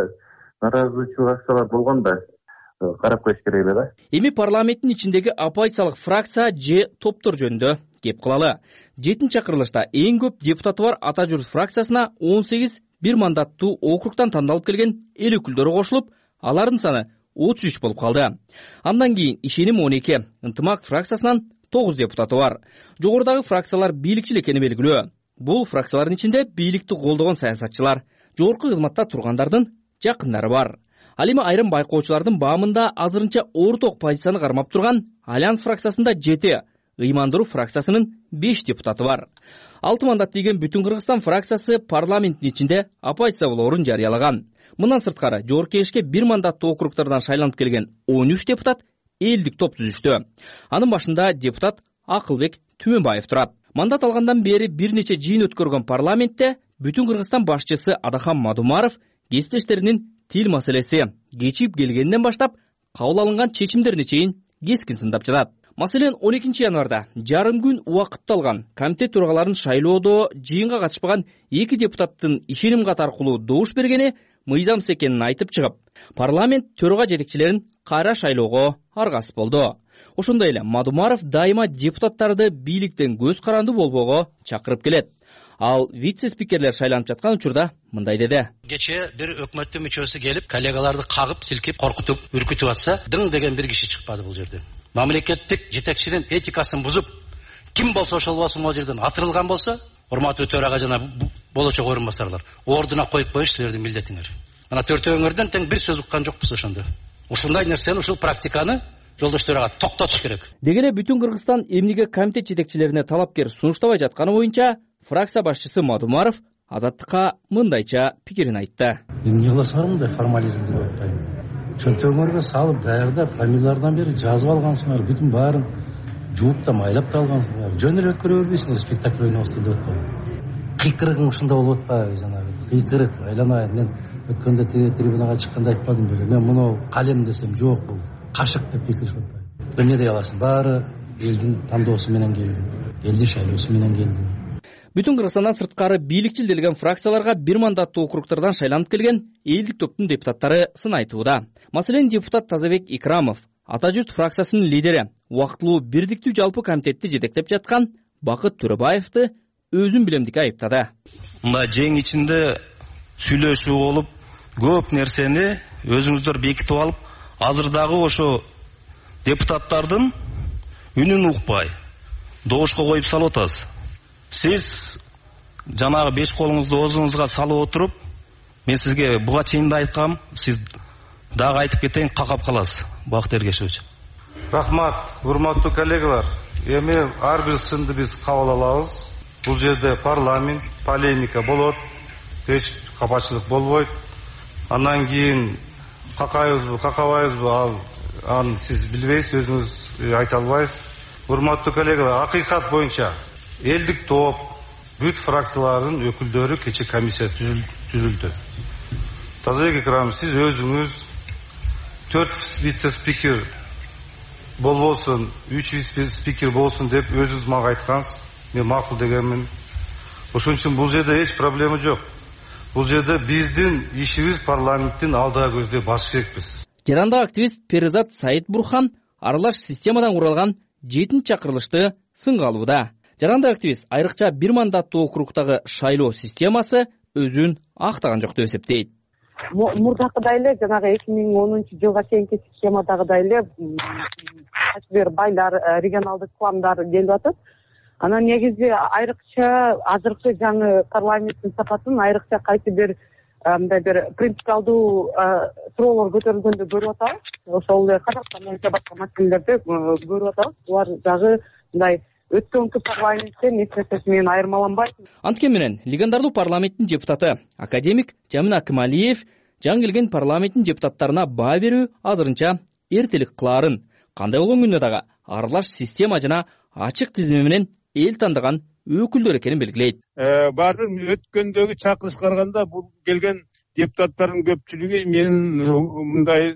нараазычылык акциялар болгон да. Карап коюш керек эле да. Эми парламенттин ичиндеги оппозициялык фракция же топтор жөнүндө кеп кылалы. 7-чакырылышта эң көп депутаты бар Ата журт фракциясына 18 бир мандаттуу округтан тандалып келген эл өкүлдөрү кошулуп, алардын саны 33 болуп калды. Андан кийин Ишеним 12, Ынтымак фракциясынан 9 депутаты бар. Жогорудагы фракциялар бийликчил экени белгилүү. Бул фракциялардын ичинде бийликти колдогон саясатчылар, жогорку кызматта тургандардын жакындары бар. Ал эми айрым байкоочулардын баамында азырынча орток позицияны кармап турган Альянс фракциясында 7, Ыйман Нуру фракциясынын 5 депутаты бар. 6 мандат деген Бүтүн Кыргызстан фракциясы парламенттин ичинде оппозиция болоорун жарыялаган. Мындан сырткары Жогорку Кеңешке бир мандаттуу округтардан шайланып келген 13 депутат элдик топ түзүштү. Анын башында депутат Акылбек Түмөнбаев турат. Мандат алгандан бери бир нече жыйын өткөргөн парламентте Бүтүн Кыргызстан башчысы Адахан Мадумаров кесиптештеринин тил маселеси кечип келгенден баштап кабыл алынган чечимдерине чейин кескин сындап жатат. Маселен 12 январда жарым күн убакытты алган комитет төрагаларын шайлоодо жыйынга катышпаган 2 депутаттын Ишеним кат аркылуу добуш бергени мыйзамсыз экенин айтып чыгып, парламент төрага жетекчилерин кайра шайлоого аргасыз болду. Ошондой эле Мадумаров дайыма депутаттарды бийликтен көз карандуу болбоого чакырып келет. Ал вице-спикерлер шайланып жаткан учурда мындай деди. Кече бир өкмөттүн мүчөсү келип, коллегаларды кагып, силкип, коркутуп, үркүтүп атса, дың деген бир киши чыкпады бул жерде. Мамлекеттик жетекчинин этикасын бузуп, ким болсо ошол болсун ал жерден атырылган болсо, урматтуу төрага жана болочок орун басарлар, ордуна коюп коюш силердин милдетиңер. Мына төртөөңөрдөн тең бир сөз уккан жокпуз ошондо. Ушундай нерсени, ушул практиканы жолдошторго токтотуш керек. Деги эле Бүтүн Кыргызстан эмнеге комитет жетекчилерине талапкер сунуштабай жатканы боюнча фракция башчысы Мадумаров Азаттыкка мындайча пикирин айтты. Эмне кыласыңар мындай формализм деп атпайбы? Чөнтөгүңөргө салып, даярдап, фамилиялардан бери жазып алгансыңар, бүтүн баарын жууп да майлап да алгансыңар. Жөн эле өткөрө бербейсиңер, спектакль ойнобуз деп атпайбы? Кыйкырыгың ушунда болуп атпайбы жанагы? Кыйкырык айланайын. Мен өткөндө трибунага чыкканда айтпадым беле. Мен муну калем десем жок, бул кашык деп кыйкырышып атпайбы. Эмне дей аласың? Баары элдин тандоосу менен келди. Элдин шайлоосу менен келди. Бүтүн Кыргызстандан сырткары бийликчил делген фракцияларга бир мандаттуу округтардан шайланып келген элдик топтун депутаттары сын айтууда. Маселен, депутат Тазабек Икрамов Ата журт фракциясынын лидери, убактылуу бирдиктүү жалпы комитетти жетектеп жаткан Бакыт Төрөбаевди өзүн билемдикке айыптады. Мына жең ичинде сүйлөшүү болуп, көп нерсени өзүңүздөр бекитип алып, азыр дагы ошо депутаттардын үнүн укпай, добушка коюп салып атасыз. Сиз жанагы 5 колуңузду оозуңузга салып отуруп, мен сизге буга чейин да айткам, сиз дагы айтып кетейин, какап каласыз. Бакыт Эргешевич. Рахмат, урматтуу коллегалар. Эми ар бир сынды биз кабыл алабыз. Бул жерде парламент, полемика болот, эч капачылык болбойт. Андан кийин какайбызбы, какабайбызбы, аны сиз билбейсиз, өзүңүз айта албайсыз. Урматтуу коллегалар, акыйкат боюнча элдик топ, бүт фракциялардын өкүлдөрү кече комиссия түзүлдү. Тазабек Экрамович, сиз өзүңүз 4 вице-спикер болбосун, 3 вице-спикер болсун деп өзүңүз мага айткансыз. Мен макул дегенмин. Ошон үчүн бул жерде эч проблема жок. Бул жерде биздин ишибиз парламенттин алдыга көздөй басыш керекпиз. Жарандык активист Перизат Саид Бурхан аралаш системадан куралган 7 чакырылышты сынга алууда. Жарандык активист айрыкча 1 мандаттуу округдагы шайлоо системасы өзүн актаган жок деп эсептейт. Мурдакыдай эле жанагы 2010-жылга чейинки системадагыдай эле кайсы бир байлар, регионалдык кландар келип атат. Анан негизи айрыкча азыркы жаңы парламенттин сапатын айрыкча кайсы бир мындай бир принципиалдуу суроолор көтөрүлгөндө көрүп атабыз. Ошол эле Казакстан боюнча башка маселелерди көрүп атабыз. Булар дагы мындай өткөнкү парламенттен эч нерсеси менен айырмаланбайт. Анткени менен легендарлуу парламенттин депутаты академик Жамин Акималиев жаңы келген парламенттин депутаттарына баа берүү азырынча эртелик кылаарын, кандай болгон күндө дагы аралаш система жана ачык тизме менен эл тандаган өкүлдөр экенин белгилейт. Баары өткөндөгү чакырышка караганда бул келген депутаттардын көпчүлүгү менин мындай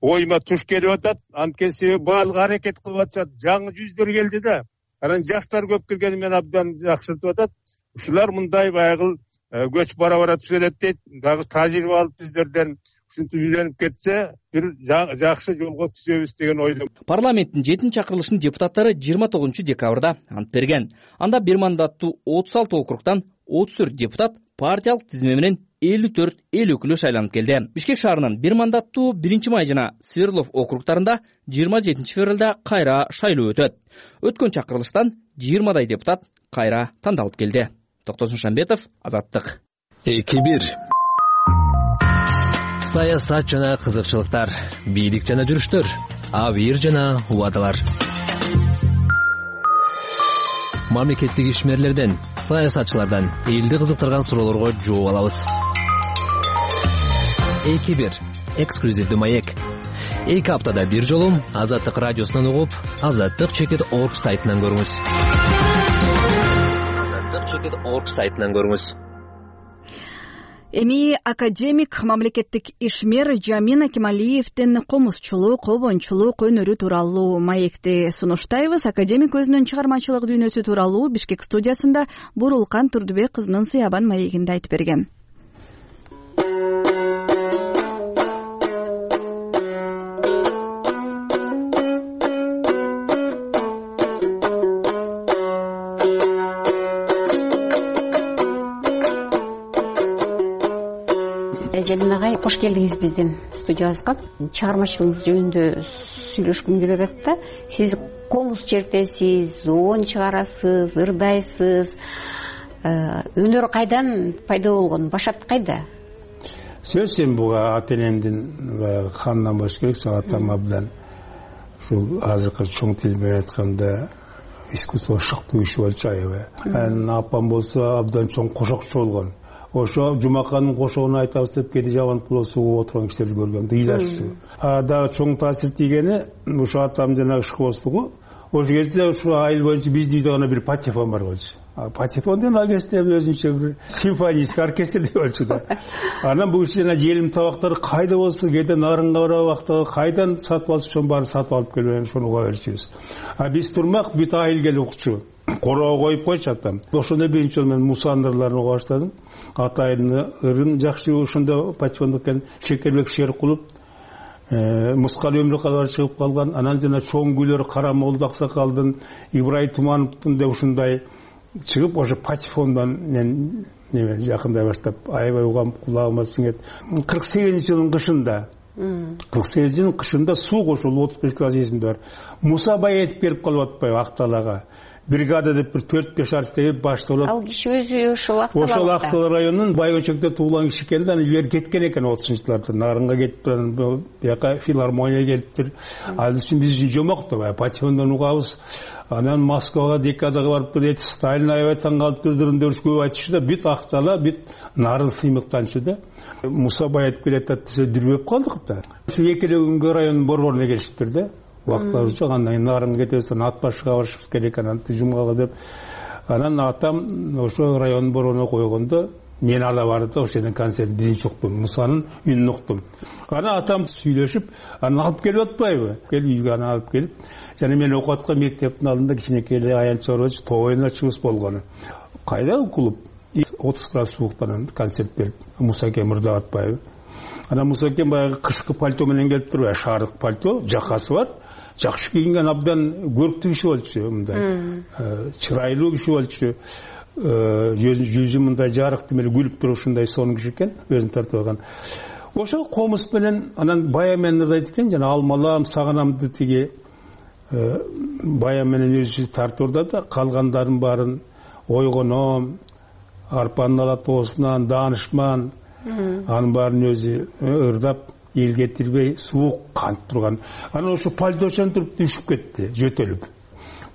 оюма туш келип атат. Анткени себеби баалык аракет кылып атышат. Жаңы жүздөр келди да. Анан жаштар көп келгени менен абдан жакшыртып атат. Ушулар мындай байгыл көч бара түзөлөт дейт. Дагы тажрыйба алып биздерден ушинтип үйлөнүп кетсе, бир жакшы жолго түзөбүз деген ойдомун. Парламенттин 7 чакырылышынын депутаттары 29 декабрда ант берген. Анда 1 мандаттуу 36 округдан 34 депутат партиялык тизме менен 54 эл өкүлү шайланып келди. Бишкек шаарынын 1 мандаттуу 1 май жана Свердлов округдарында 27 февралда кайра шайлоо өтөт. Өткөн чакырылыштан 20дай депутат кайра тандалып келди. Токтосун Шамбетов, Азаттык. 2-1. Саясат жана кызыкчылыктар, бийлик жана жүрүштөр, абийир жана убадалар. Мамлекеттик ишмерлерден, саясатчылардан элди кызыктырган суроолорго жооп алабыз. 2-1. Эксклюзивдүү маек. 2 аптада бир жолу Азаттык радиосунан угуп, azattik.org сайтынан көрүңүз. azattik.org сайтынан көрүңүз. Эми академик мамлекеттик ишмер Жамин Акималиевдин комузчулук, обончулук өнөрү тууралуу маекти сунуштайбыз. Академик өзүнүн чыгармачылык дүйнөсү тууралуу Бишкек студиясында Бурулкан Турдубек кызынын Сыябан маегинде айтып берген. Жамин агай, кош келдиңиз биздин студиябызга. Чыгармачылыгыңыз жөнүндө сүйлөшкүм келип атат да. Сиз комуз чертесиз, обон чыгарасыз, ырдайсыз. Өнөр кайдан пайда болгон? Башат кайда? Сөз эми буга ата энемдин канынан болуш керек. Атам абдан ушул азыркы чоң тил менен айтканда искусство шыктуу иши болчу аябай. Апам болсо абдан чоң кошокчу болгон. Ошо Жумаканын кошогуна айтабыз деп кээде Жабанкулова сууга отурган кишилерди көргөм, ыйлашчу. Дагы чоң таасир тийгени ушу атам жанагы школстугу. Ошол кезде ушу айыл боюнча биздин үйдө гана бир патефон бар болчу. Патефон деген оркестр өзүнчө бир симфонийский оркестр деп болчу да. Анан бул киши жана желим табактары кайда болсо, кээде нарынга барып убакта кайдан сатып алса ошону баарын сатып алып келип ошону уга берчүбүз. Биз турмак бүт айыл келип укчу. Короо коюп койчу атам. Ошондо биринчи жолу мен Муса андырларын уга баштадым. Атайдын ырын жакшы ошондо патефондо экен Шекербек Шеркулов, Мускал Өмүркалар чыгып калган. Анан жана чоң күйлөр Карамолду Аксакалдын, Ибрайым Тумановдун да ушундай чыгып ошо патефондон мен жакындай баштап аябай угам, кулагыма сиңет. 48-жылдын кышында 48-жылдын кышында суу кошулуп 35 класс эсимде бар. Муса бай этип келип калып атпайбы Акталага. бригада деп бир 4-5 артист башталып. Ал киши өзү ошол Актал районунун Байкончокто туулган киши экен да, аны бери кеткен экен 30-жылдарда. Нарынга кетип, бияка филармонияга келиптир. Ал үчүн биз үчүн жомок да, патефондон угабыз. Анан Москвага декадага барып туруп, Сталин аябай таң калып турдурун көп айтышы да, бүт Актала, бүт нарын сыймыктанчу да. Муса Баятып келатат десе дүрбөп калдык да. Экеле күнгө районун борборуна келишиптир да. Убактыбыз жок, андан кийин Нарынга кетебиз, Ат башыга барышыбыз керек анан жумгага деп. Анан атам ошо районун борборуна койгондо мен ала барды, ошол жерден концерт биринчи уктум, Мусанын үнүн уктум. Анан атам сүйлөшүп, анан алып келип атпайбы? Келип үйгө аны алып келип, жана мен окуп аткан мектептин алдында кичинекей аянт чорбочу тоойуна чыгыс болгону. Кайда клуб? 30 градус сууктан концерт берип, Мусаке мырда атпайбы? Анан Мусаке баягы кышкы пальто менен келип туруп, шаардык пальто, жакасы бар. Жакшы кийинген, абдан көрктүү киши болчу, мындай чырайлуу киши болчу. Жүзү мындай жарыктуу эле күлүп туруп ушундай сонун киши экен, өзүн тартып алган. Ошо комуз менен анан бая менен ырдайт экен, жана алмалам, сагынамды тиги бая менен өзү тартып ырдады, калгандарын баарын ойгоном, арпанын ала тоосунан, даанышман, анын баарын өзү ырдап, эл кетирбей, суук канып турган. Анан ошо пальточон туруп düşүп кетти, жөтөлүп.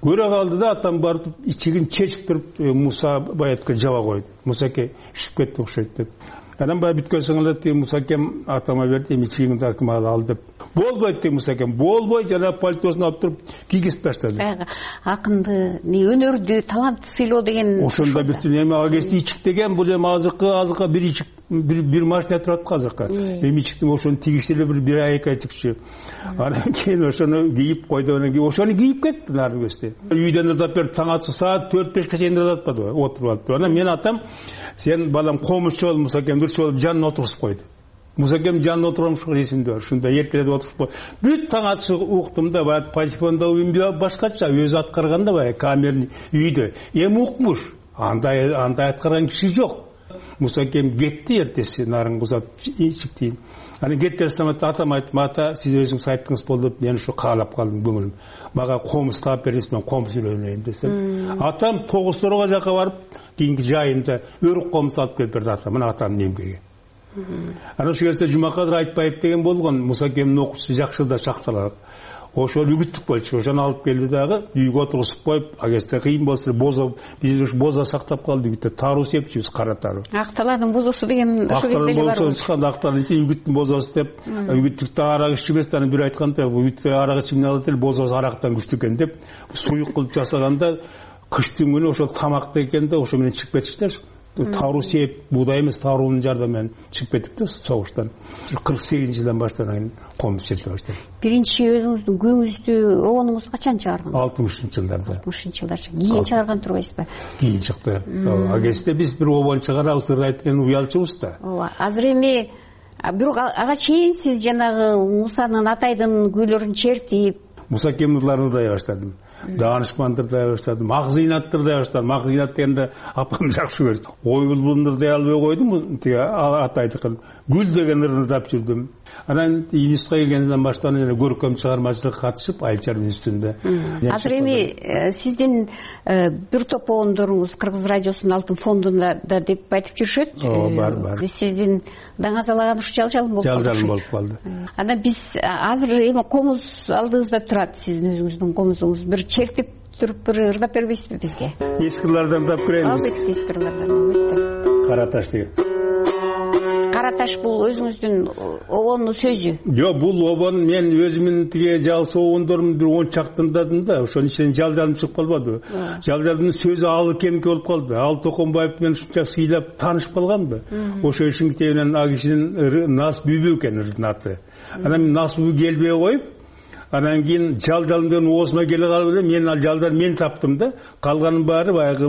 Көрө калды да, атам барып ичигин чечип туруп Муса Баятка жаба койду. Мусаке үшүп кетти окшойт деп. Анан баягы бүткөн соң Мусакем атама берди, эми ичигиңди акыма ал деп. Болбойт деп Мусакем, болбой, жана пальтосун алып туруп кийгизип таштады. Акынды, өнөрдү, талантты сыйлоо деген. Ошондо бүтүн эми ага кезде ичик деген бул эми азыркы бир ичик бир машина турат азыркы. Эми ичиктин ошону тигишти эле бир ай 2 ай тигчү. Анан кийин ошону кийип койду, анан кийин ошону кийип кетти нарын көстө. Үйдөн ырдап берип таң атса саат 4-5ке чейин ырдатпады, отуруп алыптыр. Анан мен атам, сен балам комузчу бол, Мусакем дурчу болуп жанына отургузуп койду. Мусакем жанына отургамыш эсимде бар. Ушундай эркелетип отуруп койду. Бүт таң атышы уктум да, баягы патефондо башкача өзү аткарганда баягы камерный үйдө. Эми укмуш. Андай аткарган киши жок. Мусакем кетти эртеси нарын кузат ичиктейин. Анан кетти самат атам айтты, ата сиз өзүңүз айттыңыз болду деп мен ушу каалап калдым көңүлүм. Мага комуз таап бериңиз, мен комуз үйлөнөйүн десем. Атам Тогуз-Торого жака барып, кийинки жайында өрүк комуз алып келип берди атам. Мына атамдын эмгеги. Анан ошол кезде Жумакадыр Айтбаев деген болгон, Мусакемдин окуучусу жакшы да чакталат. Ошол үгүттүк болчу. Ошону алып келди дагы, үйгө отургузуп коюп, агесте кыйын болсо бозо, биз ушу бозо сактап калды үгүттө. Таруу сепчүбүз, кара таруу. Акталардын бозосу деген ошол кезде эле бар. Бозосу чыкканда акталардын үгүттүн бозосу деп, үгүттүктө арак ичпес, анан бир айтканда, үгүттө арак ичимин алат эле, бозосу арактан күчтүү экен деп, суюк кылып жасаганда кыштын күнү ошол тамакта экен да, ошо менен чыгып кетишти. Таруу сеп, буудай эмес, таруунун жардамы менен чыгып кеттик да согуштан. 48-жылдан баштап комуз чечип баштады. Биринчи өзүңүздүн көңүздү обонуңуз качан чыгардыңыз? 60-жылдарда. 60-жылдарча. Кийин чыгарган турбайсызбы? Кийин чыкты. Ал кезде биз бир обон чыгарабыз, ырдайт деген уялчубуз да. Азыр эми бирок ага чейин сиз жанагы Мусанын Атайдын күйлөрүн чертип, Мусакем ырларын ырдай баштадым. Даанышманды ырдай баштадым. Акзыйнатты ырдай баштадым. Акзыйнат дегенде апам жакшы көрдү. Ой булбулун ырдай албай койдум, тиги Атайдыкын. Гүл деген ырын ырдап жүрдүм. Анан институтка келгенден баштап көркөм чыгармачылыкка катышып, Айылчар институтунда. Азыр эми сиздин бир топ обондоруңуз Кыргыз радиосунун Алтын фондунда деп айтып жүрүшөт. Бар. Сиздин даңазалаган ушу жалжалым болуп калды. Жалжалым болуп калды. Анан биз азыр эми комуз алдыбызда турат, сиздин өзүңүздүн комузуңуз. Бир чертип туруп бир ырдап бербейсизби бизге? Эски ырлардан тап беребиз. Албетте эски ырлардан. Кара таш деген. Кара таш бул өзүңүздүн обондун сөзү. Жок, бул обон мен өзүмдүн тиге жалсы обондорумду бир 10 чактындадым да, ошонун ичинен жалжалым чыгып калбады. Жалжалдын сөзү Алы Кемке болуп калды. Ал Токонбаев менен ушунча сыйлап таанышып калгам да. Ошо ишин китебинен ал кишинин Нас Бүбү экен ырдын аты. Анан Нас Бүбү келбей коюп, анан кийин жалжалымдын оозуна келе калып эле мен ал жалдар мен таптым да, калганын баары баягы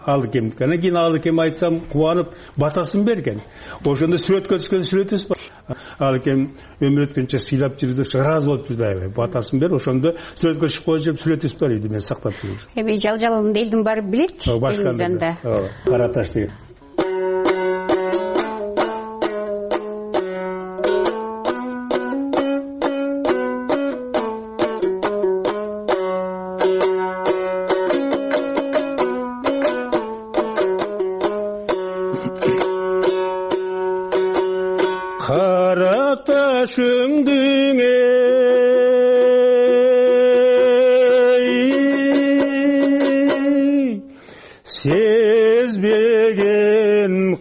Алы Кемдики. Анан кийин Алы Кем айтсам кубанып батасын берген. Ошондо сүрөткө түшкөн сүрөтүбүз бар. Алы Кем өмүр өткөнчө сыйлап жүрдү, ыраазы болуп жүрдү аябай. Батасын берип, ошондо сүрөткө чыгып коюп сүрөтүбүз бар иди, мен сактап жүрдүм. Эми жалжалымды элдин баары билет. Башканда. Кара таш деген. башыңдың сезбеген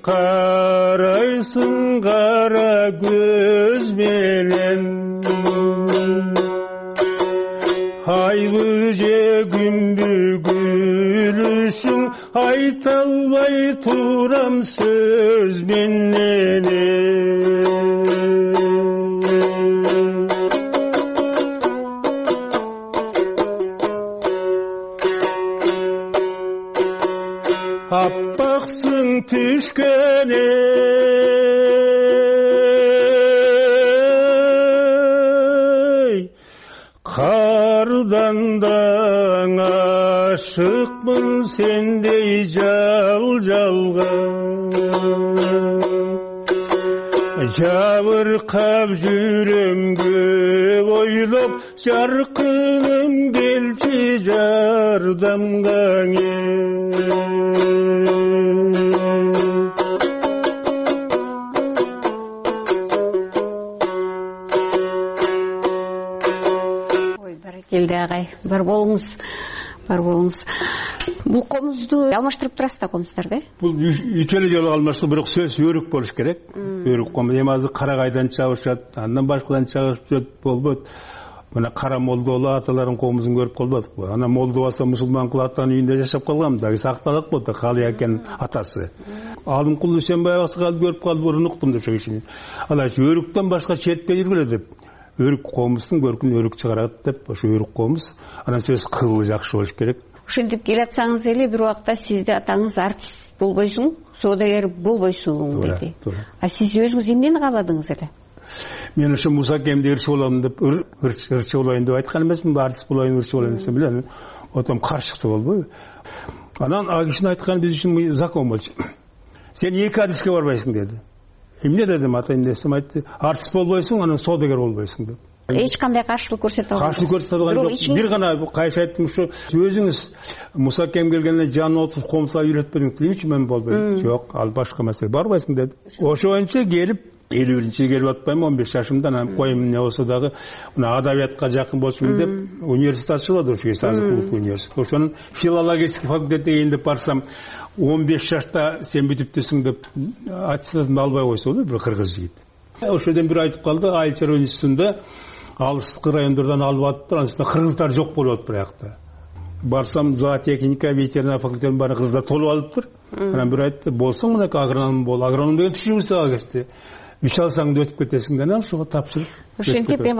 карайсың кара көз менен айлы же күндү күлүшүң айта албай турам сөз менен аппаксың түшкөн кардан да ашыкмын сендей жалга жабыркап жүрөм көп ойлоп жаркыным келчи жардамга келди агай. Бар болуңуз. Бул комузду алмаштырып турасыз да комуздарда? Бул 3 жолу алмаштырып, бирок сөз өрүк болуш керек. Өрүк комуз эми азыр карагайдан чабышат, андан башкадан чабышат болбойт. Мына кара молдолу аталарын комузун көрүп калбадыкпы? Ана молдо болсо мусулман кыл атанын үйүндө жашап калган да, сакталат болду Калый экен атасы. Алымкул Үсенбаев аксакалды көрүп калып урунуктум да ошо кишини. Алар өрүктөн башка чертпей жүргүлө деп. Өрүк комуздун көркүн өрүк чыгарат деп, ошо өрүк комуз. Анан сөз кылы жакшы болуш керек. Ошентип келатсаңыз эле бир убакта сизди атаңыз артист болбойсуң, соодагер болбойсуң деди. А сиз өзүңүз эмнени кааладыңыз эле? Мен ошо Муса Акемди ырчы болом деп, ырчы болоюн деп айткан эмесминби, артист болоюн, ырчы болоюн десем эле, отом каршы чыкса болбойбу? Анан ал кишинин айтканы биз үчүн закон болчу. Сен 2 адиске барбайсың деди. Эмне дедим, атайын десем айтты, артист болбойсуң, анан соодагер болбойсуң деп. Эч кандай каршылык көрсөтө албайсың. Каршылык көрсөтө алган жок. Бир гана кайшы айттым, ушу өзүңүз Муса Акем келгенде жанына отуруп комузга үйрөтпөдүңүз дейчи, мен болбойм. Жок, ал башка маселе, барбайсың деди. Ошончо келип 50-жылы келип атпайм, 15 жашымда, анан коем эмне болсо дагы мына адабиятка жакын болчумун деп университет ачылды, ошо Азык улуттук университет. Ошонун филологический факультетине кийин деп барсам, 15 жашта сен бүтүптүсүң деп аттестатымды албай койсо болду, бир кыргыз жигит. Ошодон бир айтып калды, Айыл чарба институтунда алыстыкы райондордон алып атыптыр, анан кыргыздар жок болуп атып биякта. Барсам, зоотехника, ветеринар факультетинин баары кыргыздар толуп алыптыр. Анан бир айтты, болсоң мынакей агроном бол. Агроном деген түшүнүңүз ага кетти. 3 алсаң өтүп кетесиң да, ошого тапшырып. Ошентип эми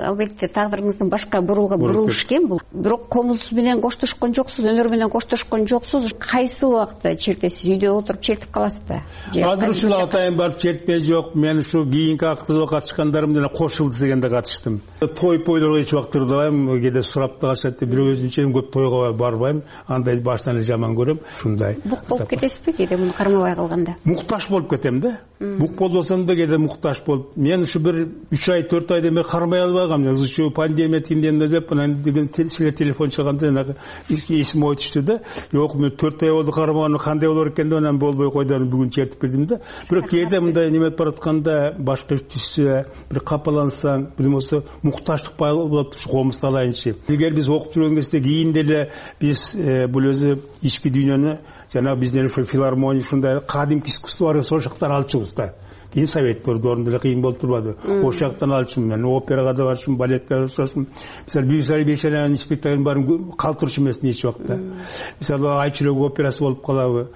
албетте тагдырыңыздын башка бурулуш экен бул. Бирок комуз менен коштошкон жоксуз, өнөр менен коштошкон жоксуз. Кайсы убакта чертесиз? Үйдө отуруп чертип каласыз да? Азыр ушул атайын барып чертпей жок. Мен ушу кийинки акыркы катышкандарым менен кошулду дегенде катыштым. Той-пойлорго эч убакыт турбайм, кээде сурап да калышат деп, бирок өзүмчө көп тойго барбайм. Андай баштан эле жаман көрөм. Ушундай. Бук болуп кетесизби кээде муну кармабай калганда? Мукташ болуп кетем да. Бук болбосом да кээде мукташ болуп. Мен ушу бир 3 ай 4 айда мен кармай албагам. Ушул пандемия тинденде деп, анан деген силер телефон чалганда жанагы эсим ой түштү да. Жок, мен 4 ай болду кармаган, кандай болор экен деп, анан болбой койду, бүгүн чертип бердим да. Бирок кээде мындай неме баратканда башка иш түшсө, бир капалансаң, бир болсо мукташтык болот, комуз алайынчы. Эгер биз окуп жүргөн кезде кийин деле биз бул өзү ички дүйнөнү жана бизден ошо филармония ушундай кадимки искусство бар, ошол жактан алчубуз да. Кийин советтер доорунда эле кыйын болуп турбады. Ошол жактан алчумун, мен операга да барчумун, балетке барчумун. Мисалы, Бүйсай Бейшенанын спектаклин баарын калтырыш эмес эч убакта. Мисалы, Айчүрөк операсы болуп калабы.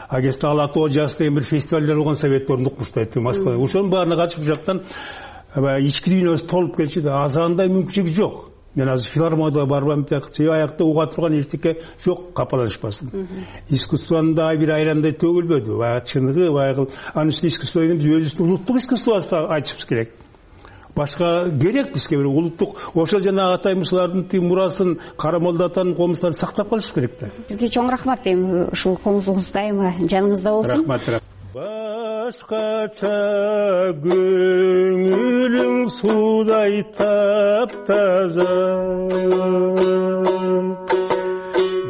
Агеста Алатоо жаз деген бир фестивалдар болгон совет доорунда укмуштайт Москвада. Ошонун баарына катышып жактан ички дүйнөбүз толуп келчү да. Азандай мүмкүнчүлүк жок. Мен азыр филармонияга барбайм деп, аякта уга турган эчтеке жок, капаланышпасын. Искусствонун да бир айрандай төгүлбөдү. Баягы чыныгы, баягы анын үстүнө искусство деген биз өзүбүздүн улуттук искусствобузду айтышыбыз керек. Башка керек бизге бир улуттук, ошол жана атайымыздардын тим мурасын, Кара Молдо атанын комуздарын сактап калыш керек да. Сизге чоң рахмат, эми ушул комузуңуз дайыма жаныңызда болсун. Рахмат. Башкача көңүлүң судай таптаза,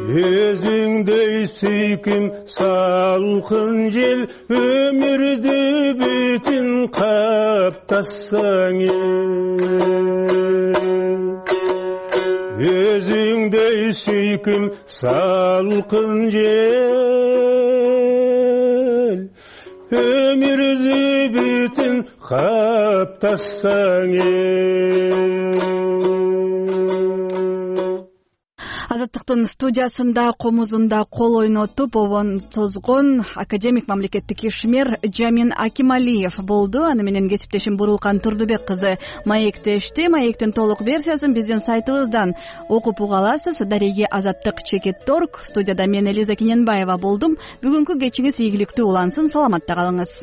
өзүң өзүңдөй сүйкүм салкын жел өмүрдү бүтүн каптасаң өзүңдөй сүйкүм салкын жел өмүрдү бүтүн каптасаң Азаттыктын студиясында комузунда кол ойнотуп обон созгон академик мамлекеттик ишмер Жамин Акималиев болду. Аны менен кесиптешим Бурулкан Турдубек кызы маектешти. Маектин толук версиясын биздин сайтыбыздан окуп уга аласыз. Дареги Азаттык.org. Студияда мен Элиза Кененбаева болдум. Бүгүнкү кечиңиз ийгиликтүү улансын. Саламатта калыңыз.